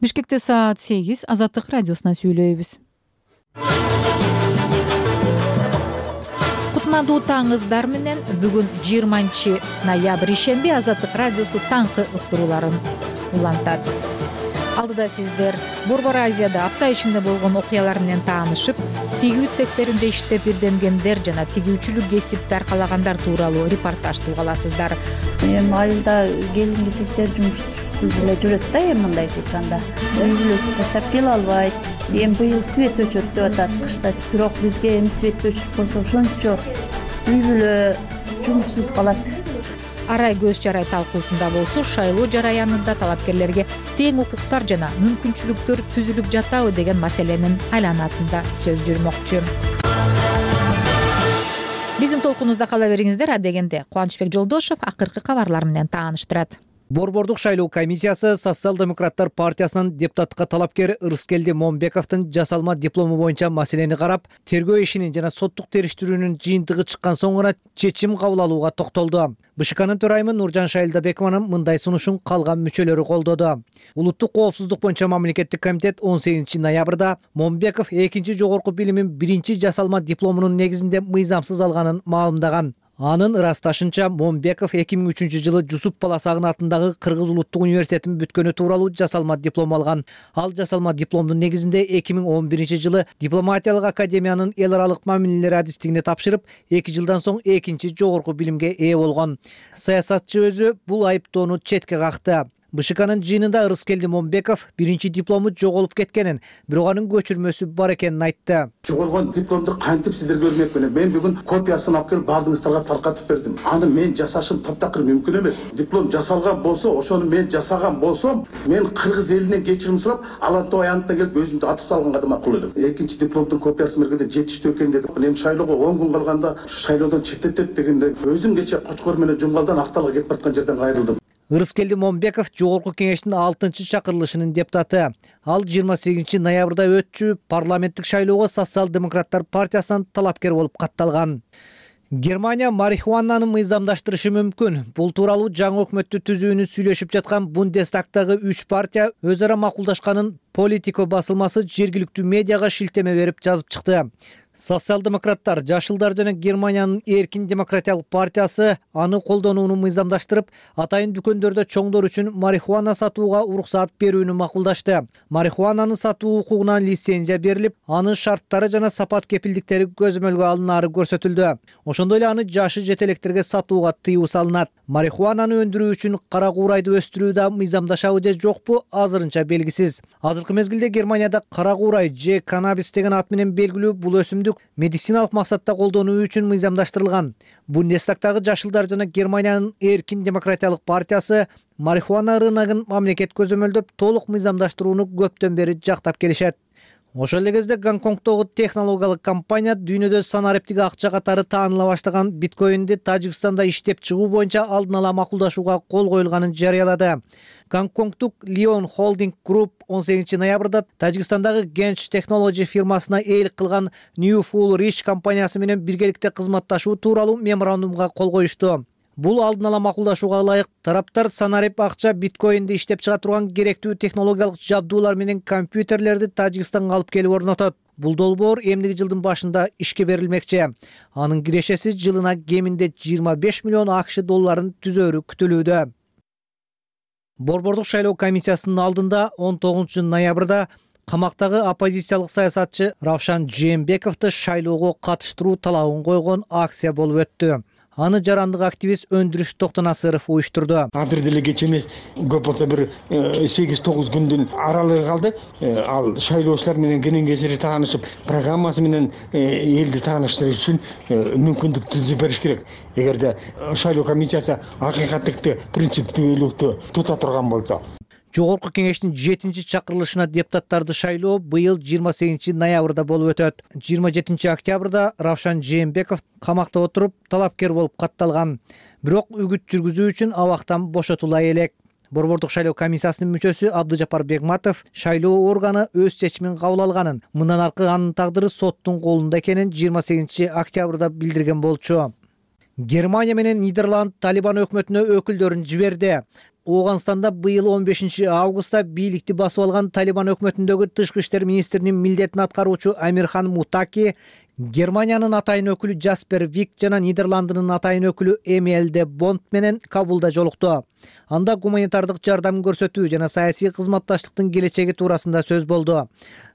Бишкекте саат 8 Азаттык радиосунан сүйлөйбүз. Кутмандуу таңыздар менен бүгүн 20 ноябрь ишемби Азаттык радиосу таңкы уктурууларын улантат. Алдыда сиздер Борбор Азияда апта ичинде болгон окуялар менен таанышып, тигүү цехтеринде иштеп ирденгендер жана тигүүчүлүк кесипти аркалагандар тууралуу репортаж уга аласыздар. Эми айылда келин-кесиптер жумушсуз эле жүрөт да, эми мындайча айтканда. Үй бүлөсүн таштап келе албайт. Эми быйыл свет өчөт деп атат кышта. Бирок бизге эми свет өчүрүп койсо ошончо үй бүлө жумушсуз калат. Арай көз жарай талкуусунда болсо шайлоо жараянында талапкерлерге тең укуктар жана мүмкүнчүлүктөр түзүлүп жатабы деген маселенин айланасында сөз жүрмөкчү. Биздин толкунубузда кала бериңиздер. Адегенде Кубанычбек Жолдошов акыркы кабарлар менен тааныштырат. Борбордук шайлоо комиссиясы Социал-демократтар партиясынын депутаттыкка талапкери Ырыскелди Момбековдун жасалма диплому боюнча маселени карап, тергөө ишинин жана соттук териштирүүнүн жыйынтыгы чыккан соң гана чечим кабыл алууга токтолду. БШКнын төрайымы Нуржан Шайлдабекованын мындай сунушун калган мүчөлөрү колдоду. Улуттук коопсуздук боюнча мамлекеттик комитет 18 ноябрда Момбеков 2 жогорку билимин 1 жасалма дипломунун негизинде мыйзамсыз алганын маалымдаган. Анын ырасташынча Момбеков 2003 жылы Жусуп Баласагын атындагы Кыргыз улуттук университетин бүткөнү тууралуу жасалма диплом алган. Ал жасалма дипломдун негизинде 2011 жылы дипломатиялык академиянын эл аралык мамилелер адистигине тапшырып, 2 жылдан соң 2 жогорку билимге ээ болгон. Саясатчы өзү бул айыптоону четке какты. БШКнын жыйынында Ырыскелди Момбеков 1 диплому жоголуп кеткенин, бирок анын көчүрмөсү бар экенин айтты. Жогоргон дипломду кантип сиздерге бермекмин? Мен бүгүн копиясын алып келип бардыгыңыздарга таркатып бердим. Аны мен жасашым таптакыр мүмкүн эмес. Диплом жасалган болсо, ошону мен жасаган болсом, мен кыргыз элинен кечирим сурап, алантып аянтта келип өзүмдү атып салганга да макул элем. 2 дипломдун копиясын бергенде жетиштүү экен дедим. Эми шайлоого 10 күн калганда шайлоодон четтетет дегенде өзүм кече Кочкор менен Жумгалдан Акталга кетип бараткан жерден кайрылдым. Ырыскелди Момбеков жогорку кеңештин 6-чакырылышынын депутаты. Ал 28 ноябрда өтчү парламенттик шайлоого Социал-демократтар партиясынан талапкер болуп катталган. Германия марихуананы мыйзамдаштырышы мүмкүн. Бул тууралуу жаңы өкмөттү түзүүнү сүйлөшүп жаткан Бундестагтагы 3 партия өз ара макулдашканын Политико басылмасы жергиликтүү медиага шилтеме берип жазып чыкты. Социал-демократтар, Жашылдар жана Германиянын Эркин демократиялык партиясы аны колдонууну мыйзамдаштырып, атайын дүкөндөрдө чоңдор үчүн марихуана сатууга уруксаат берүүнү макулдашты. Марихуананы сатуу укугуна лицензия берилип, анын шарттары жана сапат кепилдиктери көзөмөлгө алынаары көрсөтүлдү. Ошондой эле аны жашы жете электерге сатууга тыюу салынат. Марихуананы өндүрүү үчүн кара куурайды өстүрүү да мыйзамдашабы же жокпу азырынча белгисиз. Азыркы мезгилде Германияда кара куурай же каннабис деген ат менен белгилүү бул өсүмдүк медициналык максатта колдонуу үчүн мыйзамдаштырылган. Бундестагтагы Жашылдар жана Германиянын Эркин демократиялык партиясы марихуана рыногун мамлекет көзөмөлдөп толук мыйзамдаштырууну көптөн бери жактап келишет. Ошол эле кезде Гонконгдогу технологиялык компания дүйнөдө санариптик акча катары тааныла баштаган биткоинди Тажикстанда иштеп чыгуу боюнча алдын ала макулдашууга кол коюлганын жарыялады. Гонконгдук Lion Holding Group 18 ноябрда Тажикстандагы Gench Technology фирмасына ээлик кылган New Full Rich компаниясы менен биргеликте кызматташуу тууралуу меморандумга кол коюшту. Бул алдын ала макулдашууга ылайык тараптар санарип акча биткоинди иштеп чыга турган керектүү технологиялык жабдуулар менен компьютерлерди Тажикстанга алып келип орнотот. Бул долбоор эмдиги жылдын башында ишке берилмекчи. Анын кирешеси жылына кеминде 25 миллион АКШ долларын түзөөрү күтүлүүдө. Борбордук шайлоо комиссиясынын алдында 19 ноябрда камактагы оппозициялык саясатчы Равшан Жээнбековду шайлоого катыштыруу талабын койгон акция болуп өттү. Аны жарандык активист Өндүрүш Токтонасыров уюштурду. Азыр деле кеч эмес, көп болсо бир 8-9 күндүн аралыгы калды. Ал шайлоочулар менен кенен-кесири таанышып, программасы менен элди тааныштырыш үчүн мүмкүндүк түзүп бериш керек. Эгерде шайлоо комиссиясы акыйкаттыкты, принциптүүлүктү тута турган болсо. Жогорку кеңештин 7-чакырылышына депутаттарды шайлоо быйыл 28 ноябрда болуп өтөт. 27 октябрда Равшан Жээнбеков камакта отуруп талапкер болуп катталган. Бирок үгүт жүргүзүү үчүн абактан бошотула элек. Борбордук шайлоо комиссиясынын мүчөсү Абдыжапар Бегматов шайлоо органы өз чечимин кабыл алганын, мындан аркы анын тагдыры соттун колунда экенин 28 октябрда билдирген болчу. Германия менен Нидерланд Талибан өкмөтүнө өкүлдөрүн жиберди. Ооганстанда быйыл 15 августта бийликти басып алган Талибан өкмөтүндөгү тышкы иштер министринин милдетин аткаруучу Амирхан Мутаки Германиянын атайын өкүлү Джаспер Вик жана Нидерландынын атайын өкүлү Эмиль де Бонд менен Кабулда жолукту. Анда гуманитардык жардам көрсөтүү жана саясий кызматташтыктын келечеги туурасында сөз болду.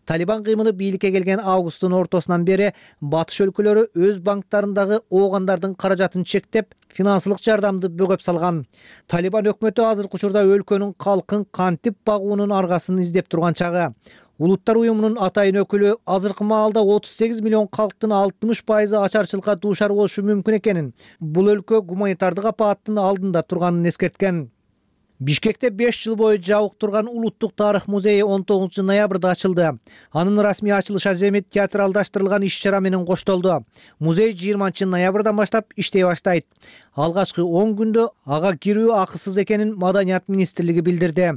Талибан кыймылы бийликке келген августтун ортосунан бери батыш өлкөлөрү өз банктарындагы оогандардын каражатын чектеп, финансылык жардамды бөгөп салган. Талибан өкмөтү азыркы учурда өлкөнүн калкын кантип багуунун аргасын издеп турган чагы. Улуттар уюмунун атайын өкүлү азыркы маалда 38 миллион калктын 60% ачарчылыкка дуушар болушу мүмкүн экенин, бул өлкө гуманитардык апааттын алдында турганын эскерткен. Бишкекте 5 жыл бою жабык турган Улуттук тарых музейи 19 ноябрда ачылды. Анын расмий ачылыш аземи театралдаштырылган иш-чара менен коштолду. Музей 20 ноябрдан баштап иштей баштайт. Алгачкы 10 күндө ага кирүү акысыз экенин Маданият министрлиги билдирди.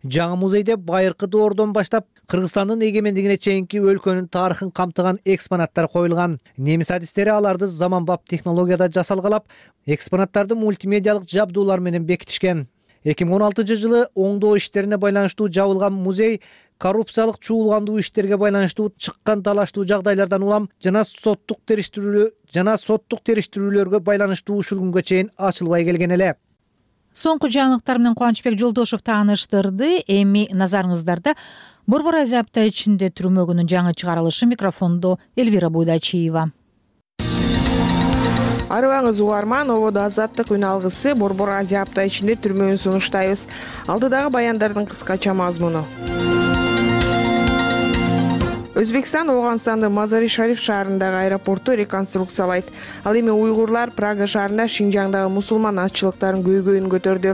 Жаңы музейде байыркы доордон баштап Кыргызстандын эгемендигине чейинки өлкөнүн тарыхын камтыган экспонаттар коюлган. Немис адистери аларды заманбап технологияда жасалгалап, экспонаттарды мультимедиалык жабдуулар менен бекитишкен. 2016 жылы оңдоо иштерине байланыштуу жабылган музей коррупциялык чуулгандуу иштерге байланыштуу чыккан талаштуу жагдайлардан улам жана соттук териштирүүлөргө байланыштуу ушул күнгө чейин ачылбай келген эле. Соңку жаңылыктар менен Кубанычбек Жолдошов тааныштырды. Эми назарыңыздарда Борбор Азия апта ичинде түрмөгүнүн жаңы чыгарылышы. Микрофондо Эльвира Буйдачиева. Арыбаңыз угарман, ободо азаттык үн алгысы Борбор Азия апта ичинде түрмөгүн сунуштайбыз. Алдыдагы баяндардын кыскача мазмуну. Өзбекстан Ооганстандын Мазари-Шариф шаарындагы аэропорту реконструкциялайт. Ал эми уйгурлар Прага шаарында Шинжаңдагы мусулман азчылыктарын көйгөйүн көтөрдү.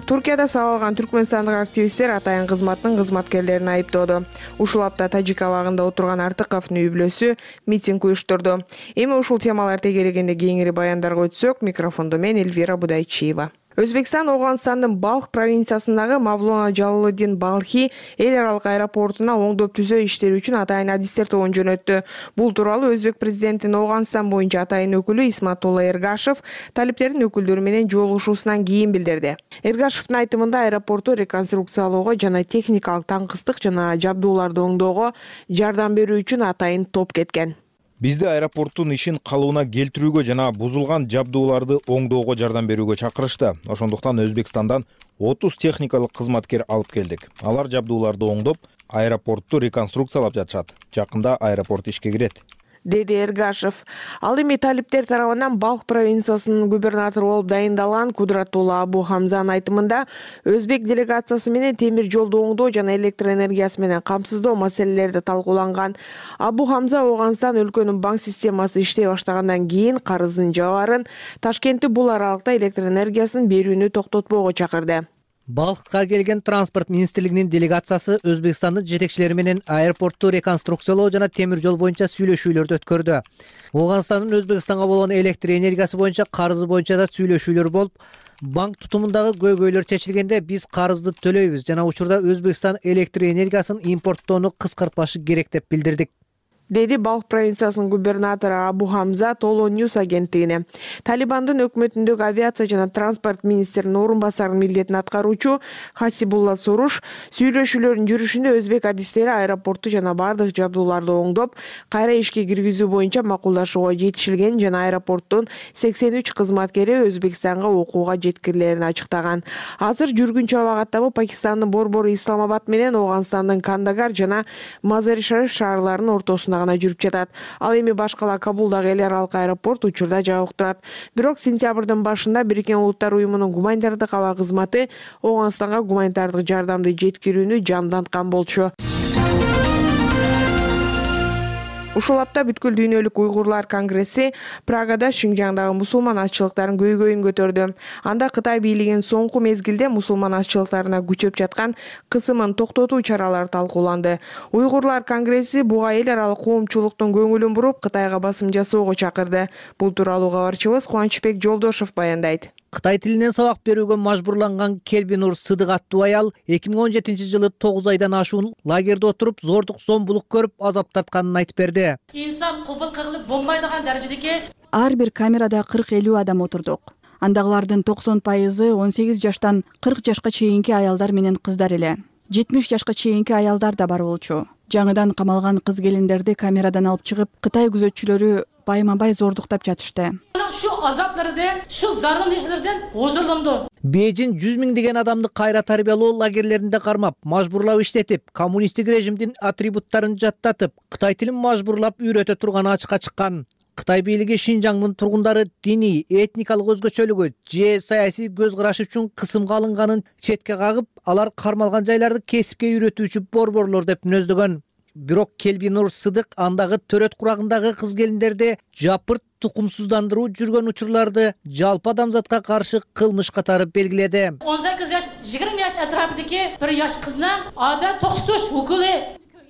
Туркияда сабалган түркмөнстандык активисттер атайын кызматтын кызматкерлерин айыптоодо. Ушул апта Тажик абагында отурган Артыковдун үй бүлөсү митинг уюштурду. Эми ушул темалар тегерегенде кеңири баяндарга өтсөк, микрофондо мен Эльвира Будайчиева. Өзбекстан Ооганстандын Балх провинциясындагы Мавлона Жалалыдин Балхи эл аралык аэропортуна оңдоп түзөө иштери үчүн атайын адистер тобун жөнөттү. Бул тууралуу Өзбек президентинин Ооганстан боюнча атайын өкүлү Исматулла Эргашев талиптердин өкүлдөрү менен жолугушуусунан кийин билдирди. Эргашевдин айтымында аэропорту реконструкциялоого жана техникалык таңкыстык жана жабдууларды оңдоого жардам берүү үчүн атайын топ кеткен. Бизди аэропорттун ишин калыбына келтирүүгө жана бузулган жабдууларды оңдоого жардам берүүгө чакырышты. Ошондуктан Өзбекстандан 30 техникалык кызматкер алып келдик. Алар жабдууларды оңдоп, аэропортту реконструкциялап жатышат. Жакында аэропорт ишке кирет, деди Эргашев. Ал эми талиптер тарабынан Балх провинциясынын губернатору болуп дайындалган Кудратулла Абу Хамзанын айтымында Өзбек делегациясы менен темир жолду оңдоо жана электр энергиясы менен камсыздоо маселелери талкууланган. Абу Хамза Ооганстан өлкөнүн банк системасы иштей баштагандан кийин карызын жабарын, Ташкентти бул аралыкта электр энергиясын берүүнү токтотпоого чакырды. Балхка келген транспорт министрлигинин делегациясы Өзбекстандын жетекчилери менен аэропортту реконструкциялоо жана темир жол боюнча сүйлөшүүлөрдү өткөрдү. Ооганстандын Өзбекстанга болгон электр энергиясы боюнча карызы боюнча да сүйлөшүүлөр болуп, банк тутумундагы көйгөйлөр чечилгенде биз карызды төлөйбүз жана учурда Өзбекстан электр энергиясын импорттоону кыскартпашы керек деп билдирдик, деди Балх провинциясынын губернатору Абу Хамза Толо Ньюс агенттигине. Талибандын өкмөтүндөгү авиация жана транспорт министринин орун басарынын милдетин аткаруучу Хасибулла Соруш сүйлөшүүлөрдүн жүрүшүндө өзбек адистери аэропортту жана бардык жабдууларды оңдоп, кайра ишке киргизүү боюнча макулдашууга жетишилген жана аэропорттун 83 кызматкери Өзбекстанга окууга жеткирилерин ачыктаган. Азыр жүргүнчү аба каттамы Пакистандын борбору Исламабад менен Ооганстандын Кандагар жана Мазари-Шариф шаарларынын ортосунда гана жүрүп жатат. Ал эми башкала Кабулдагы эл аралык аэропорт учурда жабык турат. Бирок сентябрдын башында Бириккен Улуттар уюмунун гуманитардык аба кызматы Ооганстанга гуманитардык жардамды жеткирүүнү жанданткан болчу. Ушул апта бүткүл дүйнөлүк уйгурлар конгресси Прагада Шинжаңдагы мусулман азчылыктарын көйгөйүн көтөрдү. Анда Кытай бийлигинин соңку мезгилде мусулман азчылыктарына күчөп жаткан кысымын токтотуу чаралары талкууланды. Уйгурлар конгресси буга эл аралык коомчулуктун көңүлүн буруп, Кытайга басым жасоого чакырды. Бул тууралуу кабарчыбыз Кубанычбек Жолдошов баяндайт. Кытай тилинен сабак берүүгө мажбурланган Келбинур Сыдык аттуу аял 2017 жылы 9 айдан ашуун лагерде отуруп, зордук зомбулук көрүп, азап тартканын айтып берди. Инсан кубул кылып болмайдыган даражедеги ар бир камерада 40-50 адам отурдук. Андагылардын 90% 18 жаштан 40 жашка чейинки аялдар менен кыздар эле. 70 жашка чейинки аялдар да бар болчу. Жаңыдан камалган кыз келиндерди камерадан алып чыгып, Кытай күзөтчүлөрү байма-бай зордуктап жатышты. Şu azaplardan, şu zararlılardan huzurlandı. Бейжин 100 миңдеген адамды кайра тарбиялоо лагерлеринде кармап, мажбурлап иштетип, коммунисттик режимдин атрибуттарын жаттатып, Кытай тилин мажбурлап үйрөтө турганы ачыкка чыккан. Кытай бийлиги Шинжаңдын тургундары диний, этникалык өзгөчөлүгү же саясий көз карашы үчүн кысымга алынганын четке кагып, алар кармалган жайларды кесипке үйрөтүүчү борборлор деп мүнөздөгөн. Бирок Келбинур Сыдык андагы төрөт курагындагы кыз келиндерде жапырт тукумсуздандыруу жүргөн учурларды жалпы адамзатка каршы кылмыш катары белгиледи. 18 yaş, 20 yaş etrafındaki bir yaş kızına ada toksituş hukukı.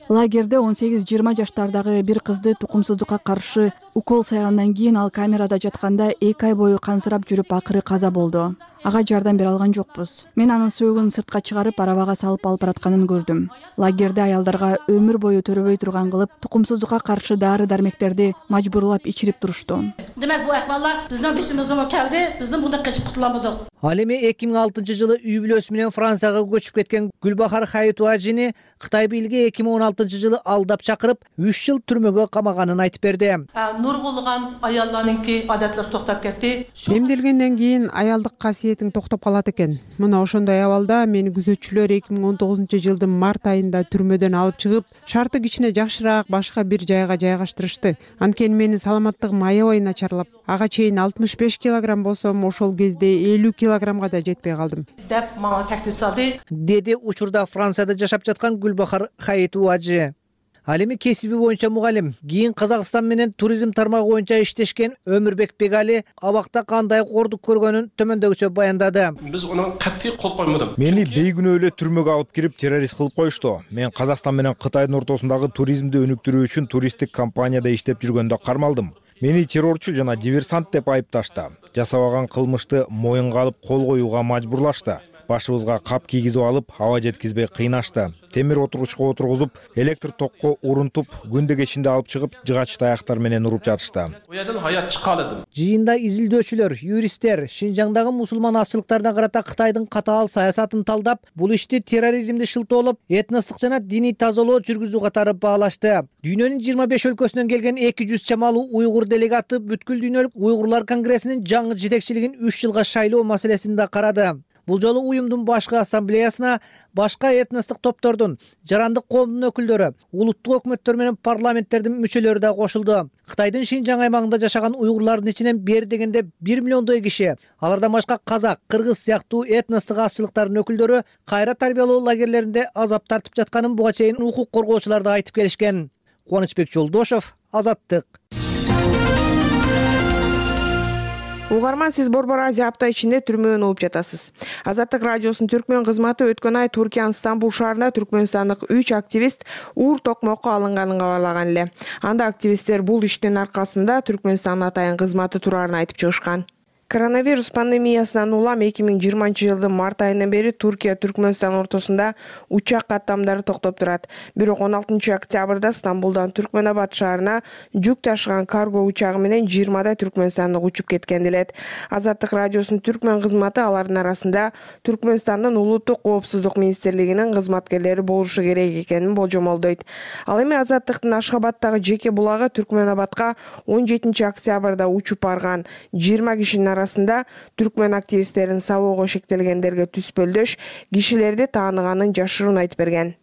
Лагерде 18-20 жаштардагы бир кызды тукумсуздукка каршы укол сайгандан кийин ал камерада жатканда 2 ай бою кансырап жүрүп акыры каза болду. Ага жардам бере алган жокпуз. Мен анын сөөгүн сыртка чыгарып арабага салып алып баратканын көрдүм. Лагерде аялдарга өмүр бою төрөбөй турган кылып, тукумсуздукка каршы дары-дармектерди мажбурлап ичирип турушту. Demek bu ahvallar bizden başımızdan geldi, bizden bundan kaçıp kurtulamadık. Ал эми 2006-жылы үй бүлөсү менен Францияга көчүп кеткен Гүлбахар Хаитуажини Кытай бийлиги 2016-жылы алдап чакырып, 3 жыл түрмөгө камаганын айтып берди. Нургулган аялларныңки адаттар токтоп кетти. Эмделгенден кийин аялдык касиетиң токтоп калат экен. Мына ошондой абалда мени күзөтчүлөр 2019-жылдын март айында түрмөдөн алып чыгып, шарты кичине жакшыраак башка бир жайга жайгаштырышты. Анткени менин саламаттыгым аябай начарлап, ага чейин 65 килограмм болсом, ошол кезде 50 килограммга да жетпей калдым. Деп мага тактид салды. Деди учурда Францияда жашап жаткан Гүлбахар Хаитуажи. Ал эми кесиби боюнча мугалим, кийин Казакстан менен туризм тармагы боюнча иштешкен Өмүрбек Бегали абакта кандай кордук көргөнүн төмөндөгүчө баяндады. Биз аны катты кол коймодум. Мени бейгүнөө эле түрмөгө алып кирип террорист кылып коюшту. Мен Казакстан менен Кытайдын ортосундагы туризмди өнүктүрүү үчүн туристтик компанияда иштеп жүргөндө кармалдым. Мени террорчу жана диверсант деп айыпташты. Жасабаган кылмышты моюнга алып кол коюуга мажбурлашты. Башыбызга кап кийгизип алып, аба жеткизбей кыйнашты. Темир отургучка отургузуп, электр токко урунтуп, күндө кечинде алып чыгып, жыгач таяктар менен уруп жатышты. Оядан хаят чыккаладым. Жыйында изилдөөчүлөр, юристтер Шинжаңдагы мусулман ачылыктарына карата Кытайдын катаал саясатын талдап, бул ишти терроризмди шылтоолоп, этностук жана диний тазалоо жүргүзүү катары баалашты. Дүйнөнүн 25 өлкөсүнөн келген 200 чамалуу уйгур делегаты бүткүл дүйнөлүк уйгурлар конгрессинин жаңы жетекчилигин 3 жылга шайлоо маселесин да карады. Бул жолу уюмдун башкы ассамблеясына башка этностук топтордун, жарандык коомдун өкүлдөрү, улуттук өкмөттөр менен парламенттердин мүчөлөрү да кошулду. Кытайдын Шинжаң аймагында жашаган уйгурлардын ичинен бери дегенде 1 миллиондой киши, алардан башка казак, кыргыз сыяктуу этностук азчылыктардын өкүлдөрү кайра тарбиялоо лагерлеринде азап тартып жатканын буга чейин укук коргоочулар да айтып келишкен. Кубанычбек Жолдошов, Азаттык. Угарман, сиз Борбор Азия апта ичинде түрмөдөн угуп жатасыз. Азаттык радиосунун түркмөн кызматы өткөн ай Туркиянын Стамбул шаарында түркмөнстандык 3 активист уур токмокко алынганын кабарлаган эле. Анда активисттер бул иштин аркасында Түркмөнстандын атайын кызматы турарын айтып чыгышкан. Коронавирус пандемиясынан улам 2020-жылдын март айынан бери Туркия Түркмөнстан ортосунда учак каттамдары токтоп турат. Бирок 16 октябрда Стамбулдан Түркмөнабад шаарына жүк ташыган карго учагы менен 20 түркмөнстандык учуп кеткен делет. Азаттык радиосунун түркмөн кызматы алардын арасында Түркмөнстандын улуттук коопсуздук министрлигинин кызматкерлери болушу керек экенин болжомолдойт. Ал эми Азаттыктын Ашхабадтагы жеке булагы Түркмөнабадка 17 октябрда учуп барган 20 кишинин арасында түркмөн активисттерин сабоого шектелгендерге түспөлдөш кишилерди тааныганын жашыруун айтып берген.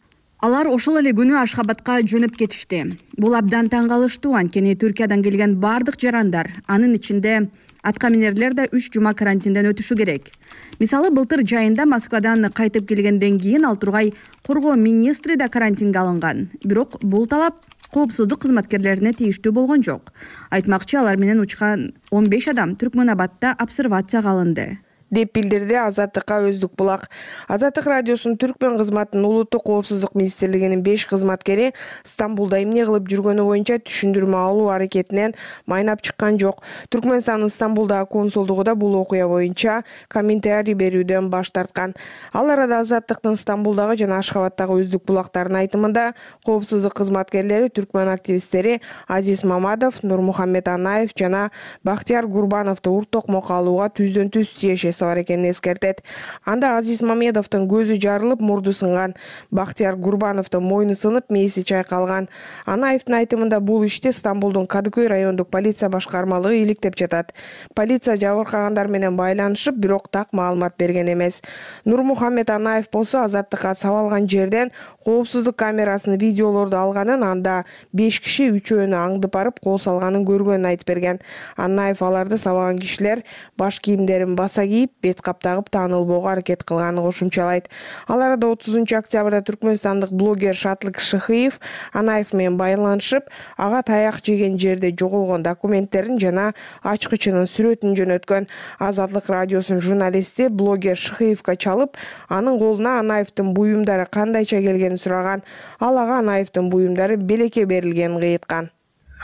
Алар ошол эле күнү Ашхабадка жөнөп кетишти. Бул абдан таң калыштуу, анткени Түркиядан келген бардык жарандар, анын ичинде атка минерлер да 3 жума карантинден өтүшү керек. Мисалы, былтыр жайында Москвадан кайтып келгенден кийин ал тургай коргоо министри да карантинге алынган. Бирок бул талап коопсуздук кызматкерлерине тийиштүү болгон жок. Айтмакчы, алар менен учкан 15 адам Түркмөнабадда обсервацияга алынды. деп билдирди Азаттыкка Өздүк Булак. Азаттык радиосунун түркмөн кызматынын улуттук коопсуздук министрлигинин 5 кызматкери Стамбулда эмне кылып жүргөнү боюнча түшүндүрмө алуу аракетинен майнап чыккан жок. Түркмөнстандын Стамбулдагы консулдугу да бул окуя боюнча комментарий берүүдөн баш тарткан. Ал арада Азаттыктын Стамбулдагы жана Ашхабадтагы Өздүк Булактардын айтымында коопсуздук кызматкерлери түркмөн активисттери Азиз Мамадов, Нурмухаммед Анаев жана Бактияр Гурбановду урт токмокко алууга түздөн-түз тиешеси бар экенин эскертет. Анда Азиз Мамедовдун көзү жарылып, мурду сынган. Бактияр Гурбановдун мойну сынып, мээси чайкалган. Анаевдин айтымында бул ишти Стамбулдун Кадыкөй райондук полиция башкармалыгы иликтеп жатат. Полиция жабыркагандар менен байланышып, бирок так маалымат берген эмес. Нурмухаммед Анаев болсо Азаттыкка сабалган жерден коопсуздук камерасынын видеолорду алганын, анда 5 киши үчөөнү аңдып барып кол салганын көргөнүн айтып берген. Анаев аларды сабаган кишилер баш кийимдерин баса кийип, бет кап тагып таанылбоого аракет кылганын кошумчалайт. Ал арада 30 октябрда түркмөнстандык блогер Шатлык Шыхыев Анаев менен байланышып, ага таяк жеген жерде жоголгон документтерин жана ачкычынын сүрөтүн жөнөткөн. Азаттык радиосунун журналисти блогер Шыхыевге чалып, анын колуна Анаевдин буюмдары кандайча келгенин сураган. Ал ага Анаевдин буюмдары белекке берилгенин кыйыткан.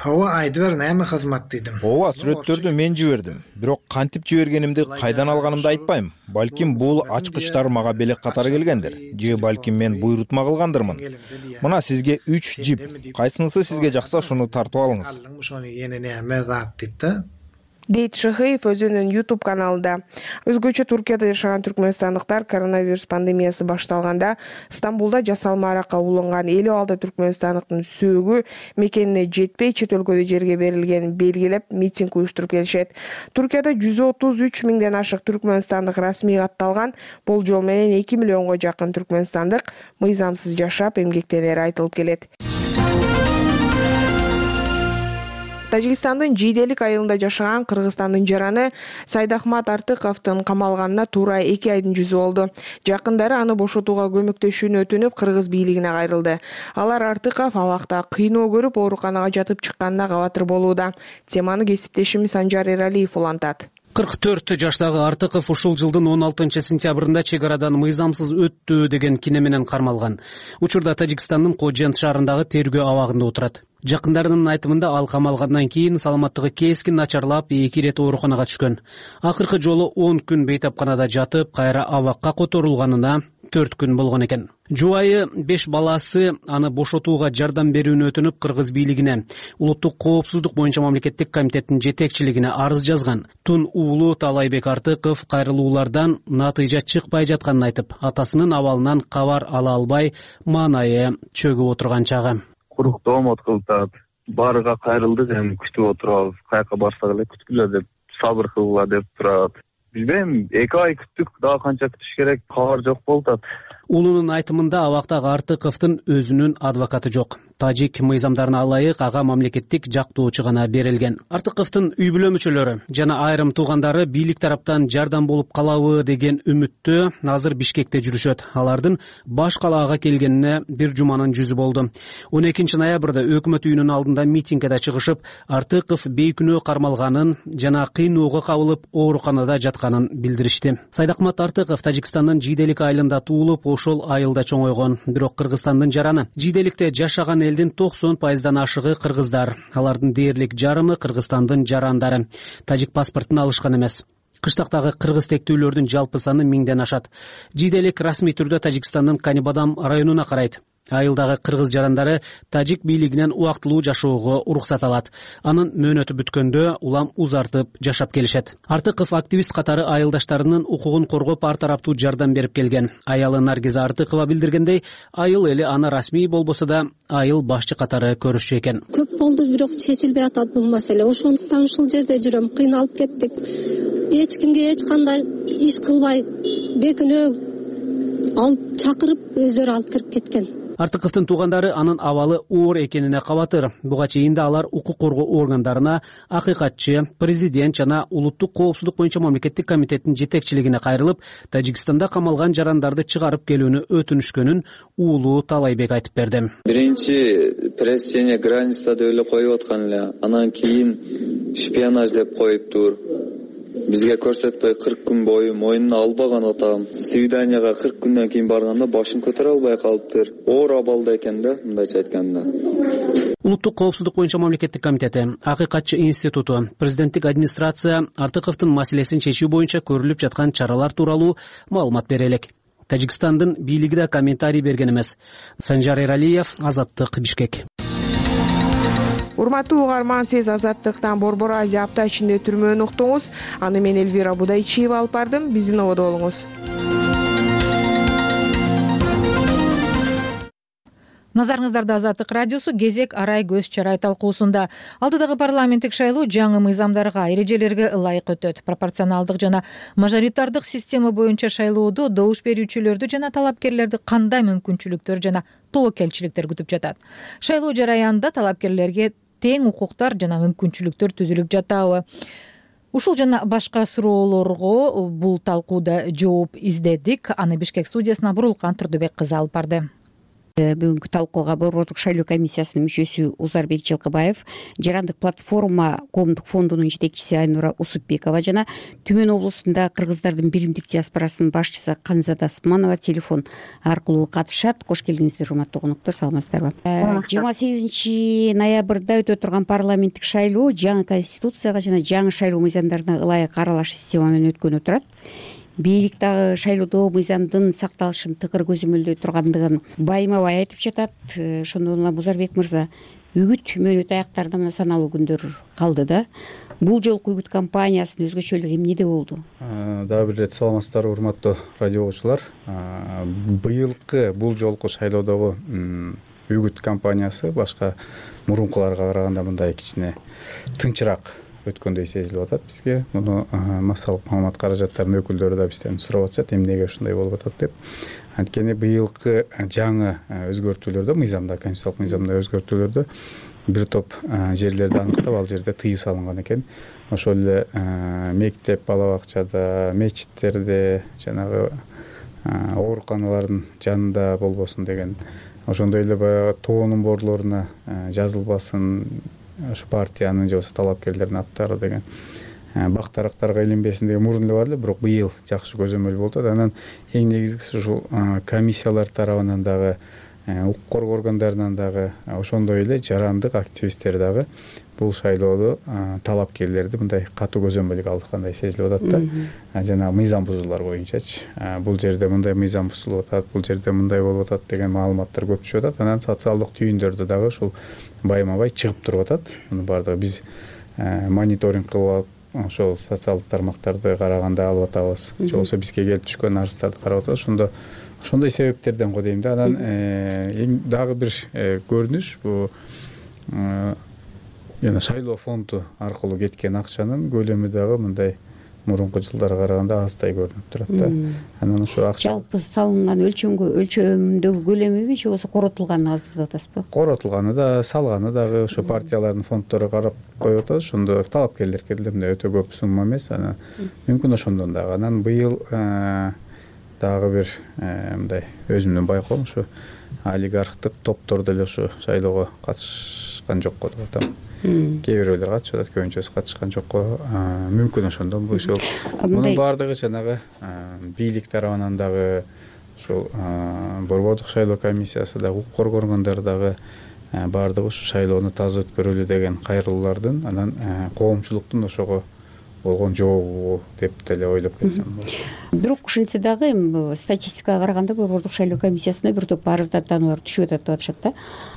Ооба, айтып бер, неме кызмат дедим. Ооба, сүрөттөрдү мен жибердим. Бирок кантип жибергенимди, кайдан алганымды айтпайм. Балким бул ачкычтар мага белек катары келгендир. Же балким мен буйрутма кылгандырмын. Мына сизге 3 жип. Кайсынысы сизге жакса ошону тартып алыңыз. Ошону эне неме зат деп да. Дейт Шыхыев өзүнүн YouTube каналында. Өзгөчө Туркияда жашаган түркмөнстандыктар коронавирус пандемиясы башталганда Стамбулда жасалма аракка уланган 56 түркмөнстандыктын сөөгү мекенине жетпей чет өлкөдө жерге берилгенин белгилеп митинг уюштуруп келишет. Туркияда 133 миңден ашык түркмөнстандык расмий катталган, болжол менен 2 миллионго жакын түркмөнстандык мыйзамсыз жашап эмгектенери айтылып келет. Тажикстандын Жийделик айылында жашаган Кыргызстандын жараны Сайдахмат Артыковдун камалганына туура 2 айдын жүзү болду. Жакындары аны бошотууга көмөктөшүүнү өтүнүп, кыргыз бийлигине кайрылды. Алар Артыков абакта кыйноо көрүп, ооруканага жатып чыкканына кабатыр болууда. Теманы кесиптешим Санжар Эралиев улантат. 44 жаштагы Артыков ушул жылдын 16 сентябрында чек арадан мыйзамсыз өттү деген кине менен кармалган. Учурда Тажикстандын Кожент шаарындагы тергөө абагында отурат. Жакындарынын айтымында ал камалгандан кийин саламаттыгы кескин начарлап, 2 ирет ооруканага түшкөн. Акыркы жолу 10 күн бейтапканада жатып, кайра абакка которулганына 4 күн болгон экен. Жубайы 5 баласы аны бошотууга жардам берүүнү өтүнүп, кыргыз бийлигине, улуттук коопсуздук боюнча мамлекеттик комитеттин жетекчилигине арыз жазган. Тун уулу Талайбек Артыков кайрылуулардан натыйжа чыкпай жатканын айтып, атасынын абалынан кабар ала албай, маанайы чөгүп отурган чагы. Куруктоомот кылтат, барыга кайрылдык, эми күтүп отурабыз, каяка барсак эле күткүлө деп, сабыр кылгыла деп турат. Билбейм, 2 ай күттүк, дагы канча күтүш керек, кабар жок болуп. Уулунун айтымында абактагы Артыковдун өзүнүн адвокаты жок. Тажик мыйзамдарына ылайык ага мамлекеттик жактоочу гана берилген. Артыковдун үй бүлө мүчөлөрү жана айрым туугандары бийлик тараптан жардам болуп калабы деген үмүттө азыр Бишкекте жүрүшөт. Алардын баш калаага келгенине бир жуманын жүзү болду. 12 ноябрда өкмөт үйүнүн алдында митингге чыгышып, Артыков бейкүнөө кармалганын жана кыйноого кабылып ооруканада жатканын билдиришти. Сайдахмат Артыков Тажикстандын Жийделик айылында туулуп, ошол айылда чоңойгон. Бирок Кыргызстандын жараны. Жийделикте жашаган элдин 90% ашыгы кыргыздар. Алардын дээрлик жарымы Кыргызстандын жарандары. Тажик паспортун алышкан эмес. Кыштактагы кыргыз тектүүлөрдүн жалпы саны 1000ден ашат. Жийделик расмий түрдө Тажикстандын Канибадам районуна карайт. Айылдагы кыргыз жарандары тажик бийлигинен убактылуу жашоого уруксат алат. Анын мөөнөтү бүткөндө улам узартып жашап келишет. Артыков активист катары айылдаштарынын укугун коргоп ар тараптуу жардам берип келген. Аялы Наргиза Артыкова билдиргендей, айыл эли аны расмий болбосо да айыл башчы катары көрүшчү экен. Көп болду, бирок чечилбей атат бул маселе. Ошондуктан ушул жерде жүрөм, кыйналып кеттик. Эч кимге эч кандай иш кылбай, бекүнөө алып чакырып өздөрү алып кирип кеткен. Артыковдун туугандары анын абалы оор экенине кабатыр. Буга чейин да алар укук коргоо органдарына, акыйкатчы, президент жана улуттук коопсуздук боюнча мамлекеттик комитеттин жетекчилигине кайрылып, Тажикстанда камалган жарандарды чыгарып келүүнү өтүнүшкөнүн уулу Талайбек айтып берди. Биринчи пресс граница деп эле коюп аткан эле, анан кийин шпионаж деп коюптур. бизге көрсөтпөй 40 күн бою мойнуна албаган атам. Свиданияга 40 күндөн кийин барганда башын көтөрө албай калыптыр. Оор абалда экен да, мындайча айтканда. Улуттук коопсуздук боюнча мамлекеттик комитети, Акыйкатчы институту, президенттик администрация Артыковдун маселесин чечүү боюнча көрүлүп жаткан чаралар тууралуу маалымат бере элек. Тажикстандын бийлиги да комментарий берген эмес. Санжар Эралиев, Азаттык, Бишкек. Урматтуу угарман, сиз Азаттыктан Борбор Азия апта ичинде түрмөөнү уктуңуз. Аны мен Элвира Будайчиева алып бардым. Биздин ободо болуңуз. Назарыңыздарда Азаттык радиосу кезек арай көз чарай талкуусунда. Алдыдагы парламенттик шайлоо жаңы мыйзамдарга, эрежелерге ылайык өтөт. Пропорционалдык жана мажоритардык система боюнча шайлоодо добуш берүүчүлөрдү жана талапкерлерди кандай мүмкүнчүлүктөр жана тобокелчиликтер күтүп жатат? Шайлоо жараянында талапкерлерге тең укуктар жана мүмкүнчүлүктөр түзүлүп жатабы? Ушул жана башка суроолорго бул талкууда жооп издедик. Аны Бишкек студиясына Бурулкан Турдубек кызы алып барды. Бүгүнкү талкууга Борбордук шайлоо комиссиясынын мүчөсү Узарбек Жылкыбаев, Жарандык платформа коомдук фондунун жетекчиси Айнура Усупбекова жана Түмөн облусунда кыргыздардын билимдик диаспорасынын башчысы Канзада Асманова телефон аркылуу катышат. Кош келиңиздер, урматтуу коноктор, саламатсыздарбы? 28 ноябрда өтө турган парламенттик шайлоо жаңы конституцияга жана жаңы шайлоо мыйзамдарына ылайык аралаш система менен өткөнү турат. Бийлик дагы шайлоодо мыйзамдын сакталышын тыкыр көзөмөлдөй тургандыгын байма-бай айтып жатат. Ошондон улам Узарбек мырза, үгүт мөөнөт аяктарына мына саналуу күндөр калды да. Бул жолку үгүт кампаниясынын өзгөчөлүгү эмнеде болду? Дагы бир ирет саламатсыздарбы, урматтуу радио окуучулар. Быйылкы бул жолку шайлоодогу үгүт кампаниясы башка мурункуларга караганда мындай кичине тынчыраак өткөндөй сезилип атат бизге. Муну массалык маалымат каражаттарынын өкүлдөрү да бизден сурап атышат, эмнеге ушундай болуп атат деп. Анткени быйылкы жаңы өзгөртүүлөрдө, мыйзамда, конституциялык мыйзамда өзгөртүүлөрдө бир топ жерлерди аныктап, ал жерде тыюу салынган экен. Ошол эле мектеп, бала бакчада, мечиттерде, жанагы ооруканалардын жанында болбосун деген. Ошондой эле баягы тоонун борлоруна жазылбасын ошо партиянын же болбосо талапкерлердин аттары деген бактарактарга илинбесин деген мурун эле бар эле, бирок быйыл жакшы көзөмөл болуп атат. Анан эң негизгиси ушул комиссиялар тарабынан дагы, укук коргоо органдарынан дагы, ошондой эле жарандык активисттер дагы бул шайлоодо талапкерлерди мындай катуу көзөмөлгө алышкандай сезилип атат да. Жана мыйзам бузуулар боюнчачы, бул жерде мындай мыйзам бузулуп атат, бул жерде мындай болуп атат деген маалыматтар көп түшүп атат. Анан социалдык түйүндөрдө дагы ушул байма-бай чыгып туруп атат. Муну баардыгы биз мониторинг кылып ошол социалдык тармактарды караганда алып атабыз. Же болбосо бизге келип түшкөн арыздарды карап атабыз. Ошондой себептерден го дейм да. Анан эң дагы бир көрүнүш бул жана шайлоо фонду аркылуу кеткен акчанын көлөмү дагы мындай мурунку жылдарга караганда аздай көрүнүп турат да. Анан ошо акча жалпы салынган өлчөмдөгү көлөмүбү же болбосо коротулганы аз деп атасызбы? Коротулганы да, салганы дагы ошо партиялардын фонддору карап коюп атат. Ошондо талапкерлерге деле өтө көп сумма эмес. Анан мүмкүн ошондон дагы. Анан быйыл дагы бир мындай өзүмдүн байкоом ушу олигархтык топтор деле ушу шайлоого катышкан жокко деп атам. Кээ бирөөлөр катышып атат, көбүнчөсү катышкан жокко. Мүмкүн ошондон бул ошол. Мунун баардыгы жанагы бийлик тарабынан дагы, ушул Борбордук шайлоо комиссиясы дагы, укук коргоо органдары дагы баардыгы ушу шайлоону таза өткөрөлү деген кайрылуулардын, анан коомчулуктун ошого болгон жообу деп деле ойлоп келсем болот. Бирок ушинтсе дагы статистикага караганда Борбордук шайлоо комиссиясына бир топ арыздатуулар түшүп атат деп атышат да.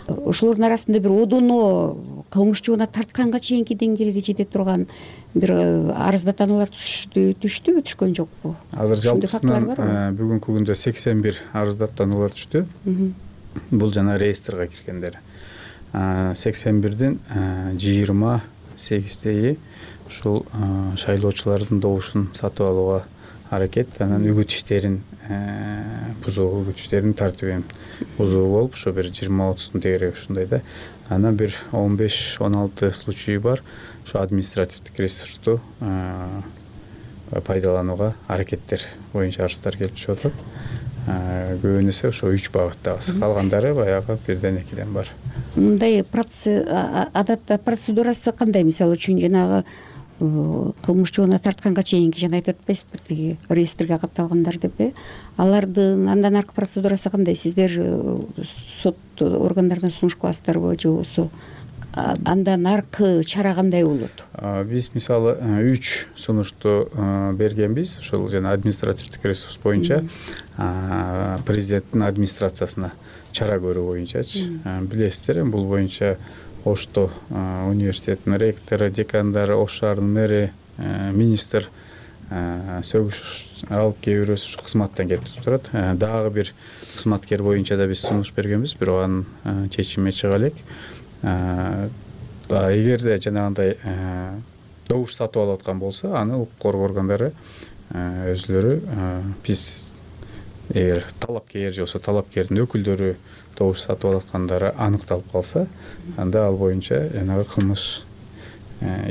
Ошолордун арасында бир одоно кылмышчуна тартканга чейинки деңгээлге жете турган бир арыздатуулар түштүбү, түшкөн жокпу? Азыр жалпысынан бүгүнкү күндө 81 арыздатуулар түштү. Бул жана реестрге киргендер. 81дин 28-и ушул шайлоочулардын добушун сатып алууга аракет, анан үгүт иштерин бузуу, үгүт иштеринин тартибин бузуу болуп, ошо бир 20-30 дегерек ушундай да. Анан бир 15-16 случай бар. Ошо административдик ресурсту пайдаланууга аракеттер боюнча арыздар келип түшүп атат. Көбүнесе ошо 3 багыттагы, калгандары баягы 1-2 бар. Мындай адатта процедурасы кандай? Мисалы үчүн жанагы кылмыш жоона тартканга чейинки жана айтып атпайсызбы тиги реестрге катталгандар деп алардын андан аркы процедурасы кандай? Сиздер сот органдарына сунуш кыласыздарбы же болбосо андан аркы чара кандай болот? Биз мисалы 3 сунушту бергенбиз ошол жана административдик ресурс боюнча президенттин администрациясына чара көрүү боюнчачы. Билесиздер, бул боюнча Ошто университеттин ректору, декандары, Ош шаарынын мэри, министр сөгүш алып кээ бирөөсү ушу кызматтан кетип турат. Дагы бир кызматкер боюнча да биз сунуш бергенбиз, бирок анын чечими чыга элек. Эгерде жанагындай добуш сатып алып аткан болсо, аны укук коргоо органдары өзүлөрү биз эгер талапкер же болбосо талапкердин өкүлдөрү добуш сатып алып аткандары аныкталып калса, анда ал боюнча жанагы кылмыш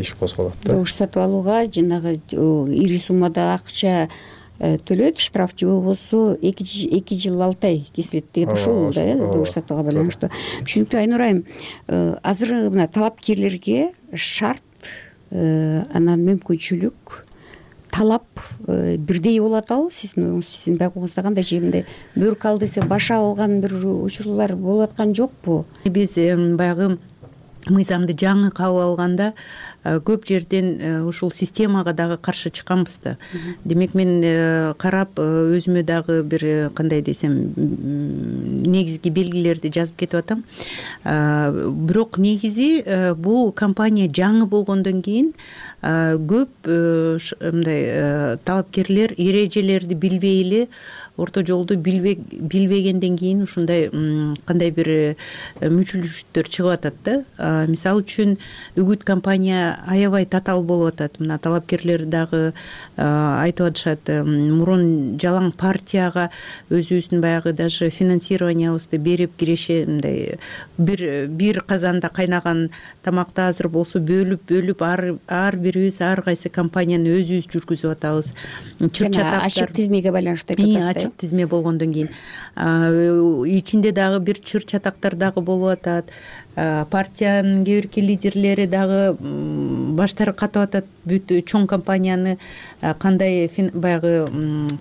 иш козголот да. Добуш сатып алууга жанагы ири суммада акча төлөйт, штраф же болбосо 2 жыл 6 ай кесилет деген ошол да, добуш сатууга байланыштуу. Түшүнүктүү. Айнур айым, азыр мына талапкерлерге шарт, анан мүмкүнчүлүк, талап бирдей болуп атабы? Сиздин байкооңузда кандай? Же мындай бөрк ал десе баш алган бир учурлар болуп аткан жокпу? Биз баягы мыйзамды жаңы кабыл алганда көп жерден ушул системага дагы каршы чыкканбыз да. Демек мен карап өзүмө дагы бир кандай десем негизги белгилерди жазып кетип атам. Бирок негизи бул компания жаңы болгондон кийин көп мындай талапкерлер эрежелерди билбей эле, орто жолду билбегенден кийин ушундай кандай бир мүчүлүштөр чыгып атат да. Мисалы үчүн үгүт компания аябай татаал болуп атат. Мына талапкерлер дагы айтып атышат, мурун жалаң партияга өзүбүздүн баягы даже финансированиябызды берип киреше, мындай бир казанда кайнаган тамакты азыр болсо бөлүп ар бирибиз ар кайсы компанияны өзүбүз жүргүзүп атабыз. Чыр-чатактар ачык тизмеге байланыштуу айтып атасыз да. Ачык тизме болгондон кийин ичинде дагы бир чыр-чатактар дагы болуп атат. Партиянын кээ бирки лидерлери дагы баштары катып атат. Бүт чоң компанияны кандай баягы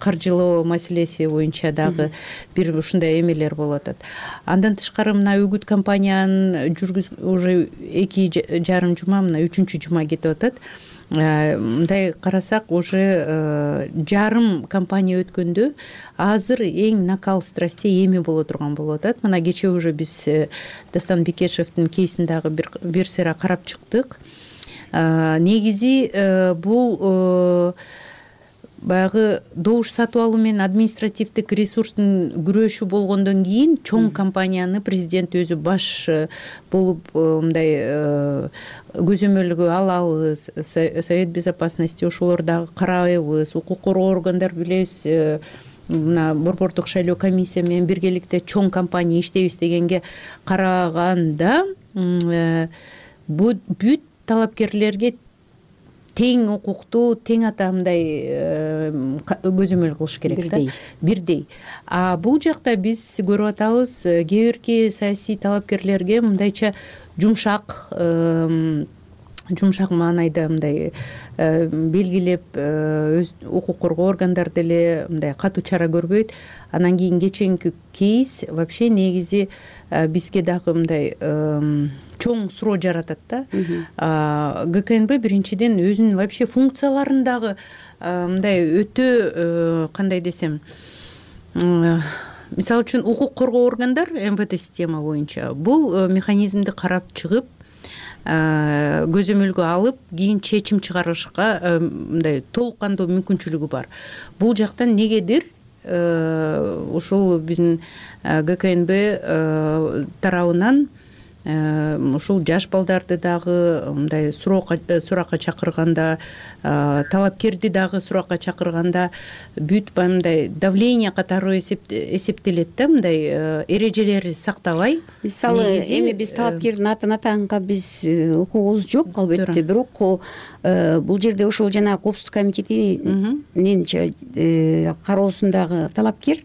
каржылоо маселеси боюнча дагы бир ушундай эмелер болуп атат. Андан тышкары мына үгүт компаниянын уже 2,5 жума, мына 3-чү жума кетип атат. Мындай карасак, уже жарым компания өткөндө азыр эң накал страстей эми боло турган болуп атат. Мына кечээ уже биз Дастан Бекешевдин кейсин дагы бир сыйра карап чыктык. Негизи бул баягы добуш сатып алуу менен административдик ресурстун күрөшү болгондон кийин чоң компанияны президент өзү баш болуп мындай көзөмөлгө алабыз. Совет безопасности ошолор дагы карайбыз. Укук коргоо органдар билебиз, мына борбордук шайлоо комиссия менен биргеликте чоң компания иштейбиз дегенге караганда бүт талапкерлерге тең укуктуу, тең атамдай көзөмөл кылыш керек да. Бирдей. Бул жакта биз көрүп атабыз, кээ бирки саясий талапкерлерге мындайча жумшак маанайда мындай белгилеп өз укук коргоо органдары деле мындай катуу чара көрбөйт. Анан кийин кеченки кейс вообще негизи бизге дагы мындай чоң суроо жаратат да. ГКНБ биринчиден өзүнүн вообще функцияларын дагы мындай өтө кандай десем, мисалы үчүн укук коргоо органдар МВД система боюнча бул механизмди карап чыгып, көзөмөлгө алып, кийин чечим чыгарышка мындай толук кандуу мүмкүнчүлүгү бар. Бул жактан негедир ушул биздин ГКНБ тарабынан ушул жаш балдарды дагы мындай суракка чакырганда, талапкерди дагы суракка чакырганда бүт мындай давление катары эсептелет да, мындай эрежелерди сактабай. Мисалы эми биз талапкердин атын атаганга биз укугубуз жок албетте, бирок бул жерде ошол жана коопсуздук комитетинин кароосундагы талапкер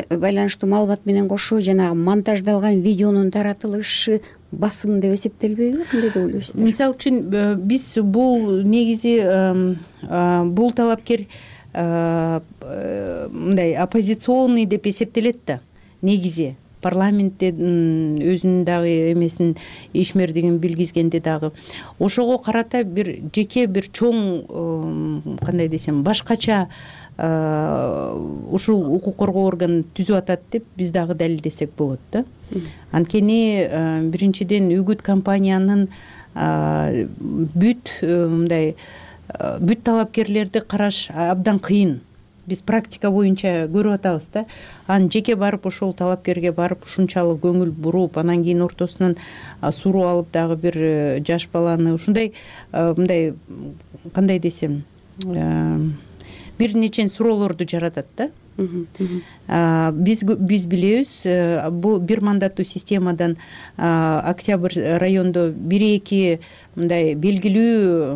байланыштуу маалымат менен кошо жанагы монтаждалган видеонун таратылышы басым деп эсептелбейби? Кандай деп ойлойсуз? Мисалы үчүн биз бул негизи бул талапкер мындай оппозиционный деп эсептелет да негизи. Парламентте өзүнүн дагы эмесин ишмердигин билгизгенде дагы ошого карата бир жеке бир чоң кандай десем башкача ушул укук коргоо органын түзүп атат деп биз дагы далилдесек болот да. Анткени биринчиден үгүт компаниянын бүт мындай бүт талапкерлерди караш абдан кыйын. Биз практика боюнча көрүп атабыз да. Анан жеке барып ошол талапкерге барып ушунчалык көңүл буруп, анан кийин ортосунан суроо алып дагы бир жаш баланы ушундай мындай кандай десем бир нече суроолорду жаратат да. Биз билебиз, бул бир мандаттуу системадан Октябрь райондо 1-2 мындай белгилүү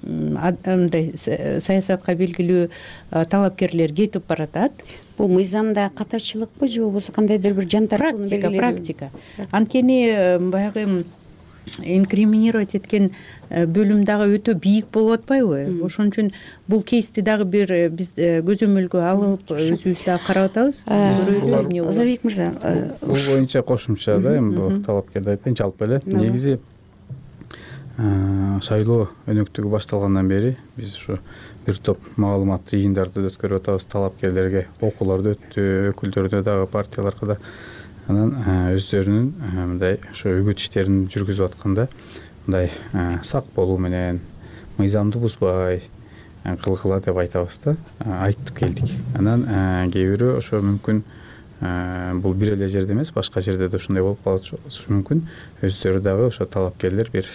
мындай саясатка белгилүү талапкерлер кетип баратат. Бул мыйзамда катачылыкпы же болбосо кандайдыр бир жантарактуу практика. Анткени баягы инкриминировать эткен бөлүм дагы өтө бийик болуп атпайбы? Ошон үчүн бул кейсти дагы бир биз көзөмөлгө алып өзүбүз дагы карап атабыз. Озорбек мырза, бул боюнча кошумча да эми бул талапкерди айтпайын, жалпы эле негизи шайлоо өнөктүгү башталгандан бери биз ушу бир топ маалымат жыйындарды өткөрүп атабыз. Талапкерлерге окууларды өттү, өкүлдөрдө дагы партияларга да. Анан өздөрүнүн мындай ошо үгүт иштерин жүргүзүп атканда мындай сак болуу менен мыйзамды бузбай кылгыла деп айтабыз да, айтып келдик. Анан кээ бирөө ошо мүмкүн бул бир эле жерде эмес, башка жерде да ушундай болуп калышы мүмкүн. Өздөрү дагы ошо талапкерлер бир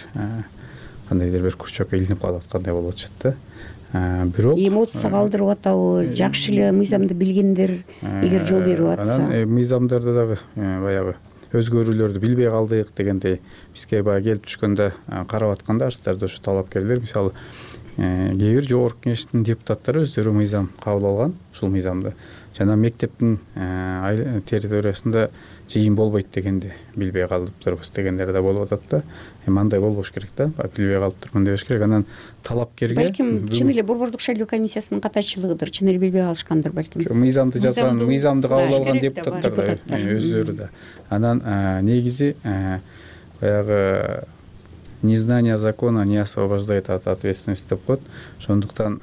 кандайдыр бир күрчөккө илинип калып аткандай болуп атышат да. Бирок эмоцияга алдырып атабы, жакшы эле мыйзамды билгендер эгер жол берип атса. Анан мыйзамдарда дагы баягы өзгөрүүлөрдү билбей калдык дегендей бизге баягы келип түшкөндө карап атканда арыздарда ошо талапкерлер мисалы кээ бир жогорку кеңештин депутаттары өздөрү мыйзам кабыл алган, ушул мыйзамды жана мектептин территориясында жыйын болбойт дегенди билбей калыптырбыз дегендер да болуп атат да. Эми андай болбош керек да, билбей калыптырмын дебеш керек. Анан талапкерге балким чын эле Борбордук шайлоо комиссиясынын катачылыгыдыр, чын эле билбей калышкандыр балким. Мыйзамды жазган, мыйзамды кабыл алган депутаттар да өздөрү да. Анан негизи баягы незнание закона не освобождает от ответственности деп коет. Ошондуктан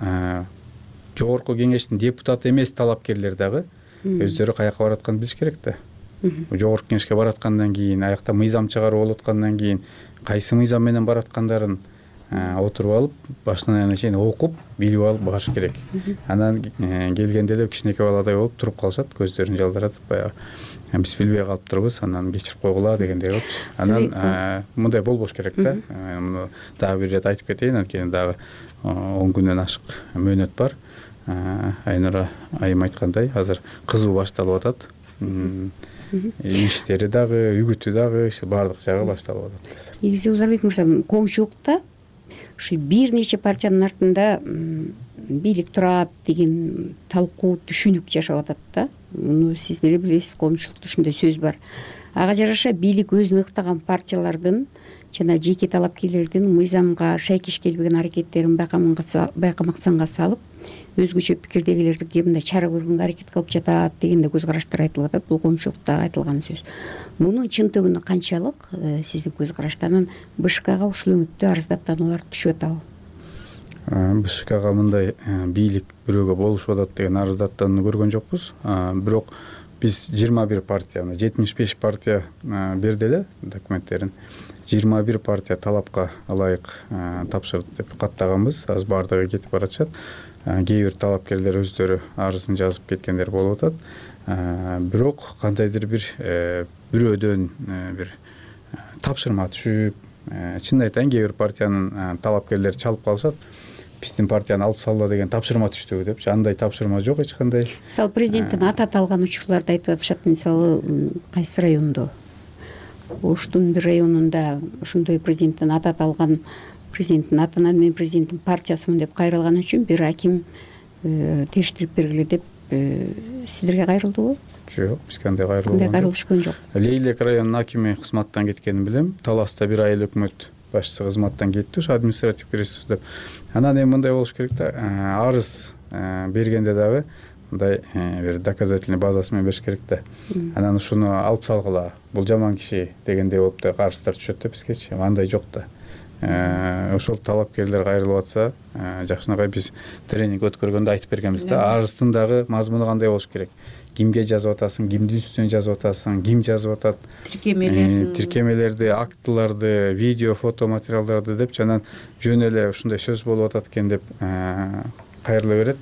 жогорку кеңештин депутаты эмес талапкерлер дагы өздөрү каяка баратканын билиш керек да. Жогорку кеңешке бараткандан кийин, аякта мыйзам чыгарып болуп аткандан кийин кайсы мыйзам менен бараткандарын отуруп алып, башынан аягына чейин окуп, билип алып барыш керек. Анан келгенде эле кичинекей баладай болуп туруп калышат, көздөрүн жалдыратып баягы биз билбей калыптырбыз, анан кечирип койгула дегендей кылчу. Анан мындай болбош керек да. Муну дагы бир ирет айтып кетейин, анткени дагы 10 күндөн ашык мөөнөт бар. Айнура айым айткандай, азыр кызуу башталып атат. Иштери дагы, үгүтү дагы, баардык жагы башталып атат. Негизи Озорбек мырза, коомчулукта ушу бир нече партиянын артында бийлик турат деген талкуу, түшүнүк жашап атат да. Муну сиз деле билесиз, коомчулукта ушундай сөз бар. Ага жараша бийлик өзүн ыктаган партиялардын жана жеке талапкерлердин мыйзамга шайкеш келбеген аракеттерин байкамаксанга салып, өзгөчө пикирдегилерге мындай чара көргөнгө аракет кылып жатат деген да көз караштар айтылып атат. Бул коомчулукта айтылган сөз. Мунун чын төгүнү канчалык сиздин көз караштан БШКга ушул өңүттө арыздаттануулар түшүп атабы? БШКга мындай бийлик бирөөгө болушуп атат деген арыздаттанууну көргөн жокпуз. Бирок биз 21 партия, 75 партия берди эле документтерин. 21 партия талапка ылайык тапшырды деп каттаганбыз. Азыр баардыгы кетип баратышат. Кээ бир талапкерлер өздөрү арызын жазып кеткендер болуп атат. Бирок кандайдыр бир бирөөдөн бир тапшырма түшүп, чын айтайын, кээ бир партиянын талапкерлери чалып калышат. Биздин партияны алып салла деген тапшырма түштү депчи. Андай тапшырма жок эч кандай. Мисалы президенттин аты аталган учурларды айтып атышат. Мисалы кайсы райондо? Оштун бир районунда ошондой президенттин аты аталган, президенттин атынан мен президенттин партиясымын деп кайрылган үчүн бир аким териштирип бергиле деп сиздерге кайрылдыбы? Жок, бизге кандай кайрылуу түшкөн жок. Лейлек районунун акими кызматтан кеткенин билем. Таласта бир айыл өкмөт башчысы кызматтан кетти, ошо административдик ресурс деп. Анан эми мындай болуш керек да, арыз бергенде дагы мындай бир доказательный базасы менен бериш керек да. Анан ушуну алып салгыла, бул жаман киши дегендей болуп да арыздар түшөт да бизгечи. Андай жок да. Ошол талапкерлер кайрылып атса, жакшынакай биз тренинг өткөргөндө айтып бергенбиз да, арыздын дагы мазмуну кандай болуш керек. Кимге жазып атасың, кимдин үстүнөн жазып атасың, ким жазып атат, тиркемелерди, актыларды, видео, фото материалдарды депчи, анан жөн эле ушундай сөз болуп атат экен деп кайрыла берет.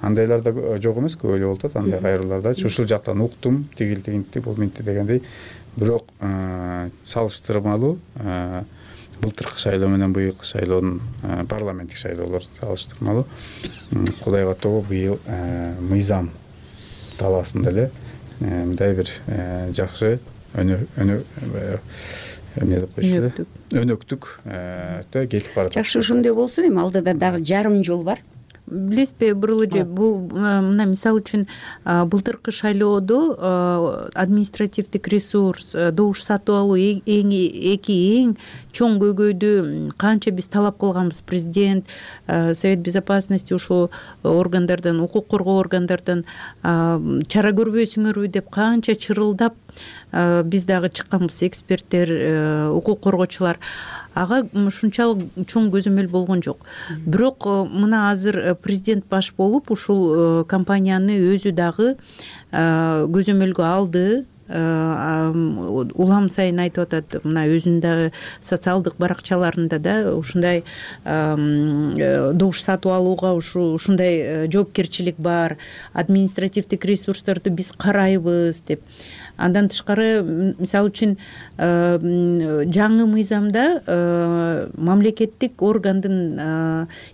Андайлар да жок эмес, көп эле болуп атат андай кайрылуулардачы. Ушул жактан уктум, тигинти, бул минти дегендей. Бирок салыштырмалуу былтыркы шайлоо менен быйылкы шайлоонун парламенттик шайлоолорун салыштырмалуу Кудайга тобо быйыл мыйзам талаасында эле мындай бир жакшы өнөктүк кетип баратат. Жакшы, ошондой болсун. Эми алдыда дагы жарым жол бар. Билесизби, Бурулужи, бул мына мисалы үчүн былтыркы шайлоодо административдик ресурс, добуш сатып алуу эң чоң көйгөйдү канча биз талап кылганбыз. Президент, Совет Безопасности ушул органдардан, укук коргоо органдардан чара көрбөйсүңөрбү деп канча чырылдап биз дагы чыкканбыз, эксперттер, укук коргоочулар. Ага ушунчалык чоң көзөмөл болгон жок. Бирок мына азыр президент баш болуп ушул компанияны өзү дагы көзөмөлгө алды. Улам сайын айтып атат, мына өзүнүн дагы социалдык баракчаларында да ушундай добуш сатып алууга ушундай жоопкерчилик бар, административдик ресурстарды биз карайбыз деп. Андан тышкары, мисалы үчүн жаңы мыйзамда мамлекеттик органдын